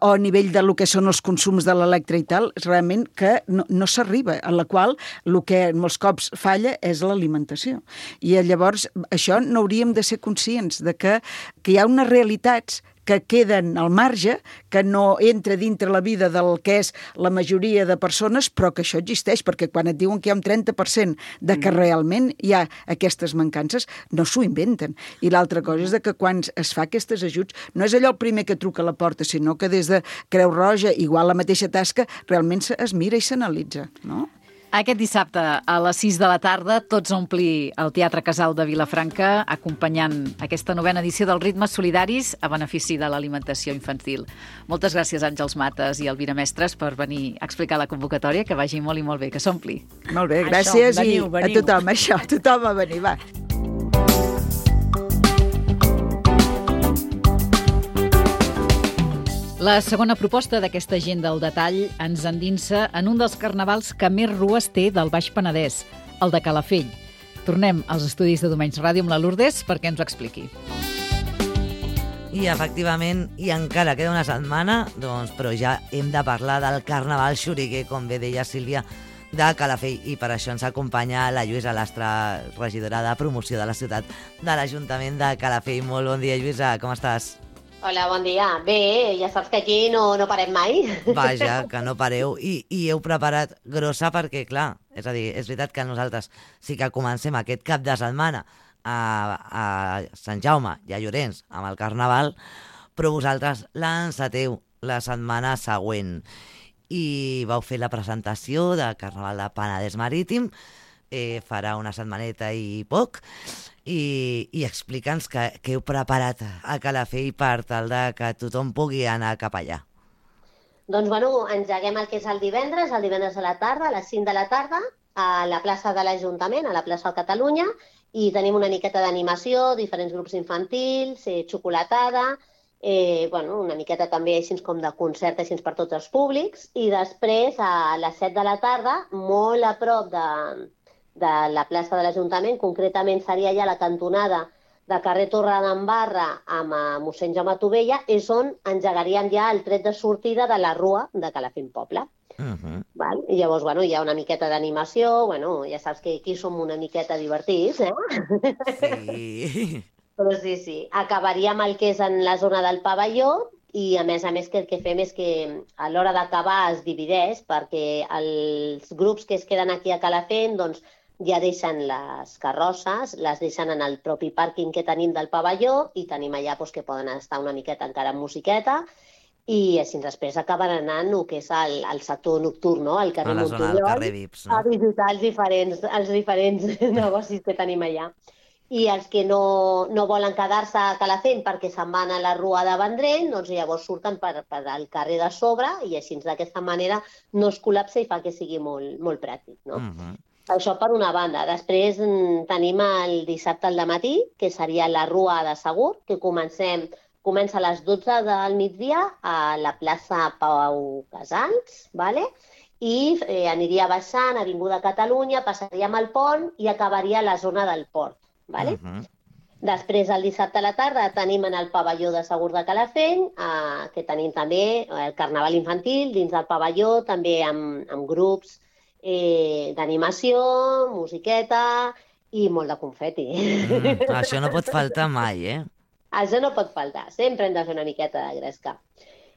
o a nivell de lo que són els consums de l'electre i tal, realment que no, no s'arriba, a la qual el que molts cops falla és l'alimentació. I llavors això no hauríem de ser conscients de que, que hi ha unes realitats que queden al marge, que no entra dintre la vida del que és la majoria de persones, però que això existeix, perquè quan et diuen que hi ha un trenta per cent de que realment hi ha aquestes mancances, no s'ho inventen. I l'altra cosa és de que quan es fa aquestes ajuts, no és allò el primer que truca a la porta, sinó que des de Creu Roja, igual la mateixa tasca, realment es mira i s'analitza, no? Aquest dissabte a les sis de la tarda tots a omplir el Teatre Casal de Vilafranca acompanyant aquesta novena edició dels Ritmes Solidaris a benefici de l'alimentació infantil. Moltes gràcies, Àngels Mates i Elvira Mestres, per venir a explicar la convocatòria, que vagi molt i molt bé, que s'ompli. Molt bé, gràcies Això, veniu, i veniu. a tothom, això, tothom a venir, va. La segona proposta d'aquesta agenda al detall ens endinsa en un dels carnavals que més rues té del Baix Penedès, el de Calafell. Tornem als estudis de Domenys Ràdio amb la Lourdes perquè ens ho expliqui. I efectivament, i encara queda una setmana, doncs, però ja hem de parlar del Carnaval Xuriguer, com bé deia Sílvia, de Calafell, i per això ens acompanya la Lluïsa Lastra, regidora de promoció de la ciutat de l'Ajuntament de Calafell. Molt bon dia, Lluïsa, com estàs? Hola, bon dia. Bé, ja saps que aquí no, no parem mai. Vaja, que no pareu. I, I heu preparat grossa perquè, clar, és a dir, és veritat que nosaltres sí que comencem aquest cap de setmana a, a Sant Jaume i a Llorenç amb el Carnaval, però vosaltres l'enceteu la setmana següent. I vau fer la presentació de Carnaval de Penedès Marítim, eh, farà una setmaneta i poc, i, i explica'ns què, què heu preparat a Calafell per tal de que tothom pugui anar cap allà. Doncs, bueno, engeguem el que és el divendres, el divendres a la tarda, a les cinc de la tarda, a la plaça de l'Ajuntament, a la plaça de Catalunya, i tenim una miqueta d'animació, diferents grups infantils, eh, xocolatada, eh, bueno, una miqueta també així com de concert així per tots els públics, i després a les set de la tarda, molt a prop de, de la plaça de l'Ajuntament, concretament seria ja la cantonada de carrer Torre d'Embarra amb mossèn Jaume Tovella, és on engegaríem ja el tret de sortida de la rua de Calafell Poble. Uh-huh. Val? I llavors, bueno, hi ha una miqueta d'animació, bueno, ja saps que aquí som una miqueta divertits, eh? Sí. Però sí, sí, acabaríem el que és en la zona del pavelló i, a més a més, que el que fem és que a l'hora d'acabar es divideix perquè els grups que es queden aquí a Calafell, doncs, ja deixen les carrosses, les deixen en el propi pàrquing que tenim del pavelló i tenim allà doncs, que poden estar una miqueta encara amb musiqueta i així després acaben anant el que és el, el sector nocturn, no? El carrer Montoriol, a la zona del carrer V I P S, no? A visitar els diferents, els diferents negocis que tenim allà. I els que no, no volen quedar-se a Calafell perquè se'n van a la Rua de Vendrell, doncs llavors surten per, per al carrer de sobre i així d'aquesta manera no es col·lapsa i fa que sigui molt, molt pràctic, no? Uh-huh. Això per una banda. Després tenim el dissabte al matí, que seria la Rua de Segur, que comencem, comença a les dotze del migdia a la plaça Pau Casals, ¿vale? I eh, aniria baixant, Avinguda Catalunya, passaríem al pont i acabaria a la zona del port. Vale? Uh-huh. Després, el dissabte a la tarda, tenim en el pavelló de Segur de Calafell, eh, que tenim també el Carnaval infantil dins del pavelló, també amb, amb grups eh, d'animació, musiqueta i molt de confeti. Mm, això no pot faltar mai, eh? Això no pot faltar, sempre hem de fer una miqueta de gresca.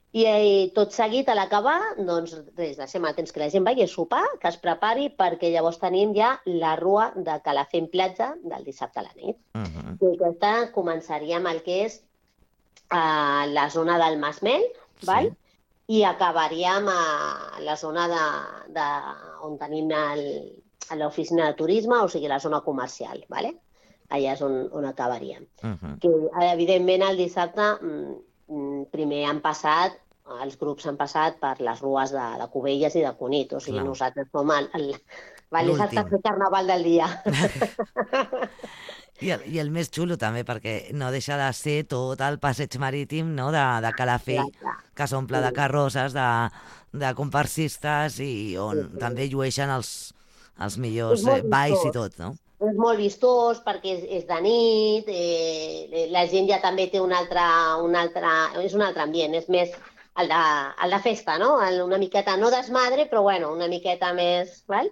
I eh, tot seguit, a l'acabar, doncs res, deixem el temps que la gent vagi a sopar, que es prepari, perquè llavors tenim ja la Rua de Calafell Platja del dissabte a la nit. Uh-huh. I aquesta començaríem el que és a la zona del Masmell, sí. Val? I acabaríem a la zona de, de, on tenim l'oficina de turisme, o sigui, la zona comercial, vale? Allà és on, on acabaríem. Uh-huh. Que, evidentment, el dissabte primer han passat, els grups han passat per les rues de, de Cubelles i de Cunit, o sigui, clar. Nosaltres som el, el, el, el tercer carnaval del dia. I el, I el més xulo també, perquè no deixa de ser tot el passeig marítim, no?, de, de Calafell, clar, clar. Que s'omple sí. de carrosses, de, de comparsistes i on sí, sí. també llueixen els, els millors eh, balls i tot, no? És molt vistós perquè és, és de nit, eh, la gent ja també té un altre, un altre, és un altre ambient, és més el de, el de festa, no? El, una miqueta, no desmadre, però bueno, una miqueta més... Val?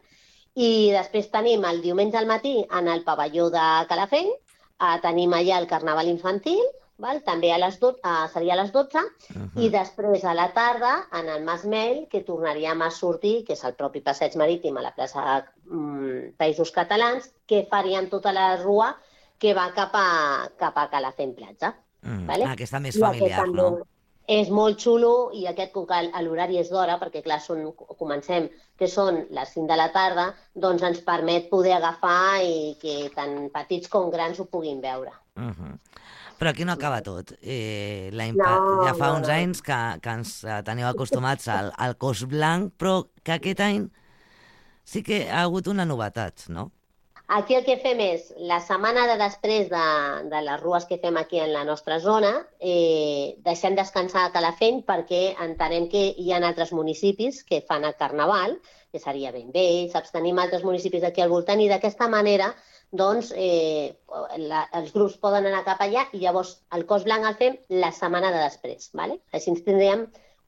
I després tenim el diumenge al matí en el pavelló de Calafell, eh, tenim allà el Carnaval infantil, val? També a les dotze, eh, seria a les dotze, uh-huh. I després a la tarda en el Masmell, que tornaríem a sortir, que és el propi passeig marítim a la plaça mm, Països Catalans, que faríem tota la rua que va cap a, cap a Calafell Platja. Mm, vale? Aquesta més familiar, aquest no? És molt xulo i aquest, com que l'horari és d'hora, perquè clar, són, comencem, que són les cinc de la tarda, doncs ens permet poder agafar i que tant petits com grans ho puguin veure. Uh-huh. Però aquí no acaba tot. Eh, la impa... no, ja fa no, uns no. anys que, que ens teniu acostumats al, al cos blanc, però que aquest any sí que ha hagut una novetat, no? Aquí el que fem és, la setmana de després de, de les rues que fem aquí en la nostra zona, eh, deixem descansar a Calafell perquè entenem que hi ha altres municipis que fan el carnaval, que seria Bellvei, saps? Tenim altres municipis aquí al voltant i d'aquesta manera doncs, eh, la, els grups poden anar cap allà i llavors el Cos Blanc el fem la setmana de després. ¿Vale? Així ens tindríem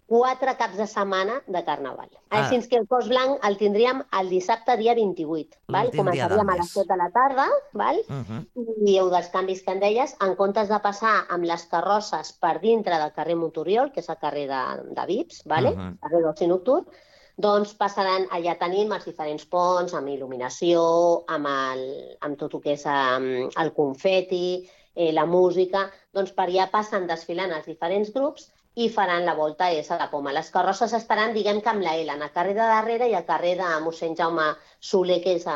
quatre caps de setmana de carnaval. Ah. Així que el Cos Blanc el tindríem el dissabte dia vint-i-vuit. Val? Començaríem a les set de la tarda, val? Uh-huh. I heu dels canvis que en deies, en comptes de passar amb les carrosses per dintre del carrer Montoriol, que és el carrer de, de Vips, vale? Uh-huh. Carrer d'Oci Nocturn, doncs passaran, allà tenim els diferents ponts, amb il·luminació, amb, el, amb tot el que és um, el confeti, eh, la música, doncs per allà passen desfilant els diferents grups i faran la volta S a la Poma. Les carrosses estaran, diguem que amb la L, en el carrer de darrere i el carrer de mossèn Jaume Soler, que és a,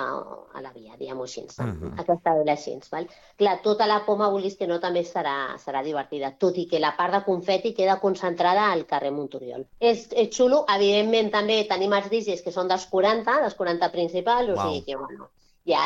a la via, diguem-ho així, uh-huh. aquesta L així. Val? Clar, tota la Poma, vulguis que no, també serà, serà divertida, tot i que la part de confeti queda concentrada al carrer Montoriol. És, és xulo, evidentment també tenim els D Js que són dels quaranta, dels quaranta principals, o sigui que, bueno, ja,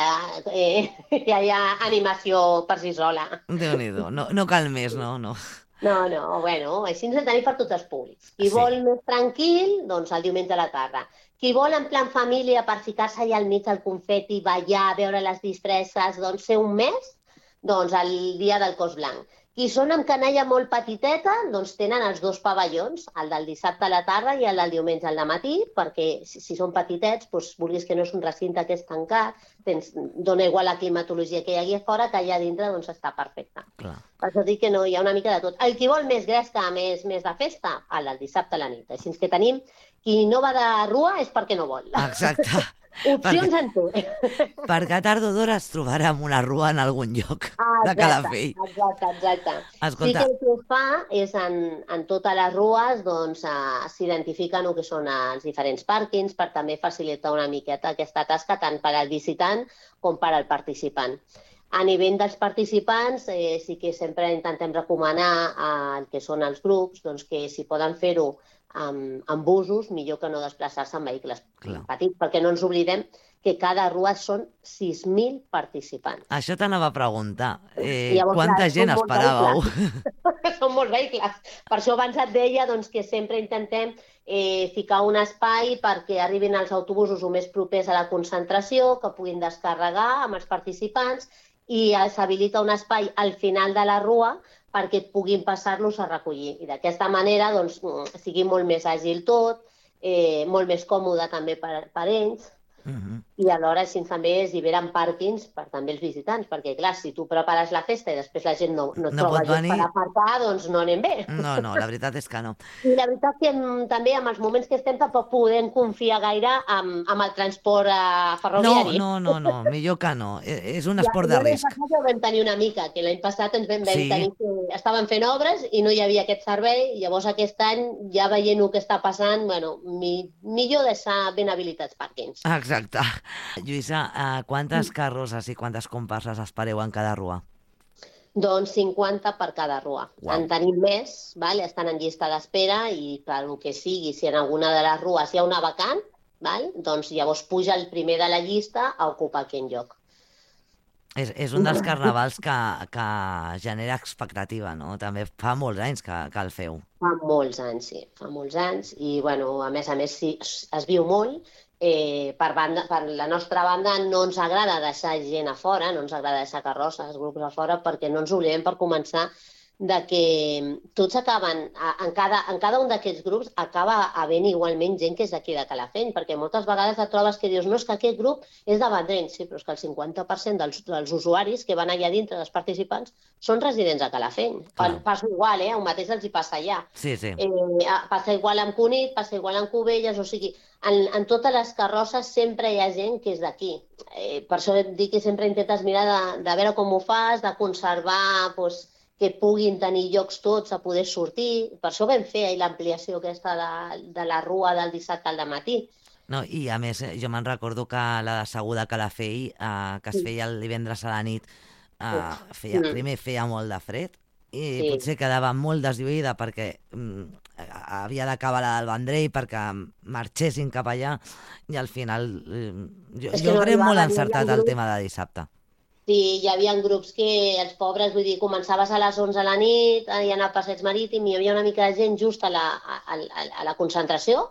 eh, ja hi ha animació per si sola. Déu-n'hi-do, no, no cal més, no, no. No, no, bueno, així ens tenim per tots els públics. Qui sí. vol més tranquil, doncs el diumenge a la tarda. Qui vol en plan família per ficar-se allà al mig del confeti, ballar, veure les disfresses, doncs ser un mes, doncs el dia del Cos Blanc. Qui són amb canalla molt petiteta, doncs tenen els dos pavellons, el del dissabte a la tarda i el del diumenge al matí, perquè si, si són petitets, doncs, vulguis que no és un recinte que és tancat, tens, dona igual la climatologia que hi hagi a fora, que allà dintre doncs, està perfecte. Clar. Per això dic que no, hi ha una mica de tot. El qui vol més gresca, més, més de festa, el del dissabte a la nit. Així que tenim, qui no va de rua és perquè no vol. Exacte. Opcions en té. Perquè a tard o d'hora es trobarà amb una rua en algun lloc ah, de Calafell. Exacte, exacte. Escolta. Sí que el que es fa és en, en totes les rues doncs, uh, s'identifiquen el que són els diferents pàrquings per també facilitar una miqueta aquesta tasca tant per al visitant com per al participant. A nivell dels participants, eh, sí que sempre intentem recomanar eh, el que són els grups, doncs que si poden fer-ho amb, amb busos, millor que no desplaçar-se en vehicles Clar. petits, perquè no ens oblidem que cada rua són sis mil participants. Això t'anava a preguntar. Eh, llavors, quanta clar, gent esperàveu? Són molts vehicles. Per això abans et deia doncs, que sempre intentem eh, ficar un espai perquè arribin els autobusos el més propers a la concentració, que puguin descarregar amb els participants i s'habilita un espai al final de la rua perquè puguin passar-los a recollir. I d'aquesta manera doncs, sigui molt més àgil tot, eh, molt més còmode també per, per ells, uh-huh. i alhora així també es lliberen pàrquings per també els visitants, perquè clar, si tu prepares la festa i després la gent no, no, no troba gent per aparcar, doncs no anem bé. No, no, la veritat és que no. I la veritat que també amb els moments que estem tampoc podem confiar gaire amb, amb el transport eh, ferroviari. No, no, no, no, millor que no. És un esport ja, de risc. L'any passat ja ho vam tenir una mica, que l'any passat ens vam, vam sí. tenir que estaven fent obres i no hi havia aquest servei, llavors aquest any, ja veient el que està passant, bueno, mi, millor deixar ben habilitats pàrquings. Exacte. Lluïsa, uh, quantes carrosses i quantes comparses espereu en cada rua? Doncs cinquanta per cada rua. Wow. En tenim més, vale? Estan en llista d'espera i per el que sigui, si en alguna de les rues hi ha una vacant, vale? Doncs llavors puja el primer de la llista a ocupar aquell lloc. És, és un dels carnavals que, que genera expectativa, no? També fa molts anys que, que el feu. Fa molts anys, sí. Fa molts anys i, bueno, a més a més, sí, es viu molt. Eh, per, banda, per la nostra banda no ens agrada deixar gent a fora, no ens agrada deixar carrosses, grups a fora, perquè no ens oblidem per començar de que tots acaben, en cada, en cada un d'aquests grups acaba havent igualment gent que és d'aquí de Calafell, perquè moltes vegades et trobes que dius no, és que aquest grup és de Vendrell, sí, però és que el cinquanta per cent dels, dels usuaris que van allà dintre, dels participants, són residents a Calafell. Ah. Passa igual, eh? El mateix els hi passa allà. Sí, sí. Eh, passa igual amb Cunit, passa igual amb Cubelles, o sigui, en, en totes les carrosses sempre hi ha gent que és d'aquí. Eh, per això dic que sempre intentes mirar de, de veure com ho fas, de conservar, doncs, que puguin tenir llocs tots a poder sortir. Per això vam fer l'ampliació aquesta de, de la rua del dissabte al matí. No, i a més, jo me'n recordo que la de Segur de Calafell, eh, que es feia el divendres a la nit, eh, feia, primer feia molt de fred i Sí. potser quedava molt deslluïda perquè mm, havia d'acabar la del Vendrell perquè marxessin cap allà i al final eh, jo, És que jo no crec molt arribaven, encertat hi havia el grups- tema de dissabte. Sí, hi havia grups que els pobres, vull dir, començaves a les onze a la nit i anar a passeig marítim i hi havia una mica de gent just a la, a, a, a la concentració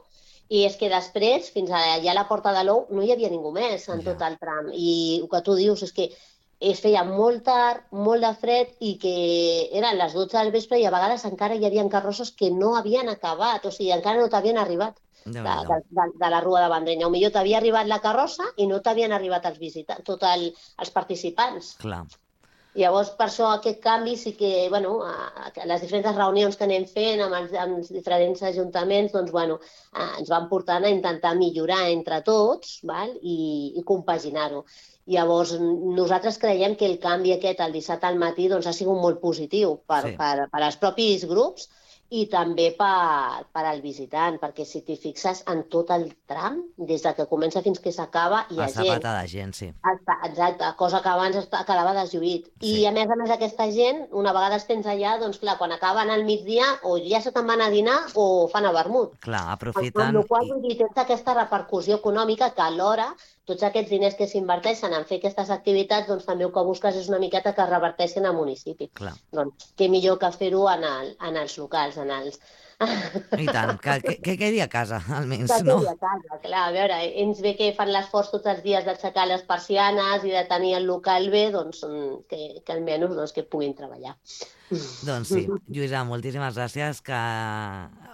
i és que després, fins allà a la Porta de l'Ou, no hi havia ningú més en Ja. tot el tram. I el que tu dius és que es feia molt tard, molt de fred i que eren les dotze del vespre i a vegades encara hi havia carrosses que no havien acabat, o sigui, encara no t'havien arribat de, de, de, de la Rua de Vendrell. O millor t'havia arribat la carrossa i no t'havien arribat els visitants, tot el, els participants. Clar. Llavors, per això aquest canvi sí que, bueno, a, a les diferents reunions que anem fent amb els, amb els diferents ajuntaments, doncs, bueno, eh, ens van portant a intentar millorar entre tots, val? I, i compaginar-ho. Llavors, nosaltres creiem que el canvi aquest el dissabte al matí doncs, ha sigut molt positiu per, Sí. per, per als propis grups i també per, per al visitant, perquè si t'hi fixes en tot el tram, des de que comença fins que s'acaba, hi ha A gent. sapata de gent, sí. Està- Exacte, cosa que abans esta- quedava deslluït. I Sí. a més a més aquesta gent, una vegada els tens allà, doncs clar, quan acaben al migdia o ja se te'n van a dinar o fan a vermut. Clar, Amb aprofitant... la qual i- cosa, vull dir, tens aquesta repercussió econòmica que alhora tots aquests diners que s'inverteixen en fer aquestes activitats, doncs també el que busques és una miqueta que reverteixin al municipi. Clar. Doncs què millor que fer-ho en, el, en els locals, en els... I tant, que, que, que quedi a casa, almenys, Que no? quedi a casa, clar, a veure, ens ve que fan l'esforç tots els dies d'aixecar les persianes i de tenir el local bé, doncs mm, que, que almenys doncs, que puguin treballar. Doncs sí, Lluïsa, moltíssimes gràcies, que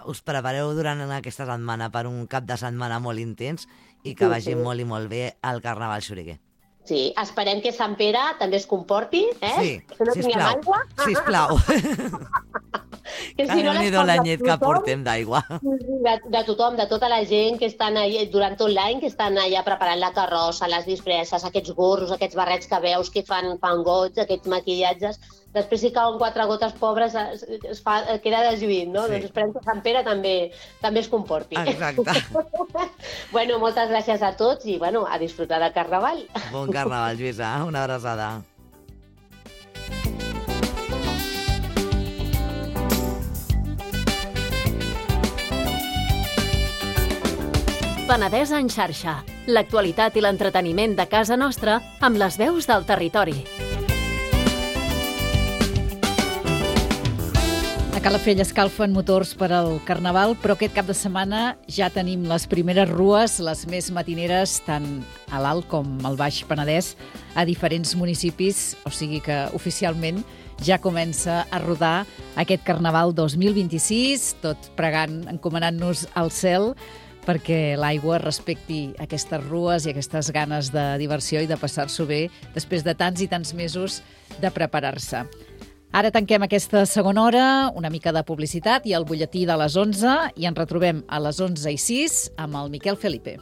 us prepareu durant aquesta setmana per un cap de setmana molt intens i que Sí, vagi sí. molt i molt bé el Carnaval Xuriguer. Sí, esperem que Sant Pere també es comporti, eh? Sí, Que no tinguem sisplau, aigua. sisplau. Que Que les Déu-n'hi-do coses l'anyet que tothom- portem d'aigua. De, de tothom, de tota la gent que estan allà, durant tot l'any, que estan allà preparant la carrossa, les disfresses, aquests gorros, aquests barrets que veus que fan, fan goig, aquests maquillatges. Després si cauen quatre gotes pobres es, es fa, queda deslluït, no? Sí. Doncs esperem que Sant Pere també, també es comporti. Exacte. Bueno, moltes gràcies a tots i bueno, a disfrutar del Carnaval. Bon Carnaval, Lluïsa, una abraçada. Penedès en xarxa. L'actualitat i l'entreteniment de casa nostra amb les veus del territori. A Calafell escalfen motors per al Carnaval, però aquest cap de setmana ja tenim les primeres rues, les més matineres, tant a l'Alt com al Baix Penedès, a diferents municipis, o sigui que oficialment ja comença a rodar aquest Carnaval dos mil vint-i-sis, tot pregant, encomanant-nos al cel, perquè l'aigua respecti aquestes rues i aquestes ganes de diversió i de passar-s'ho bé després de tants i tants mesos de preparar-se. Ara tanquem aquesta segona hora, una mica de publicitat i el butlletí de les onze i ens retrobem a les onze i sis amb el Miquel Felipe.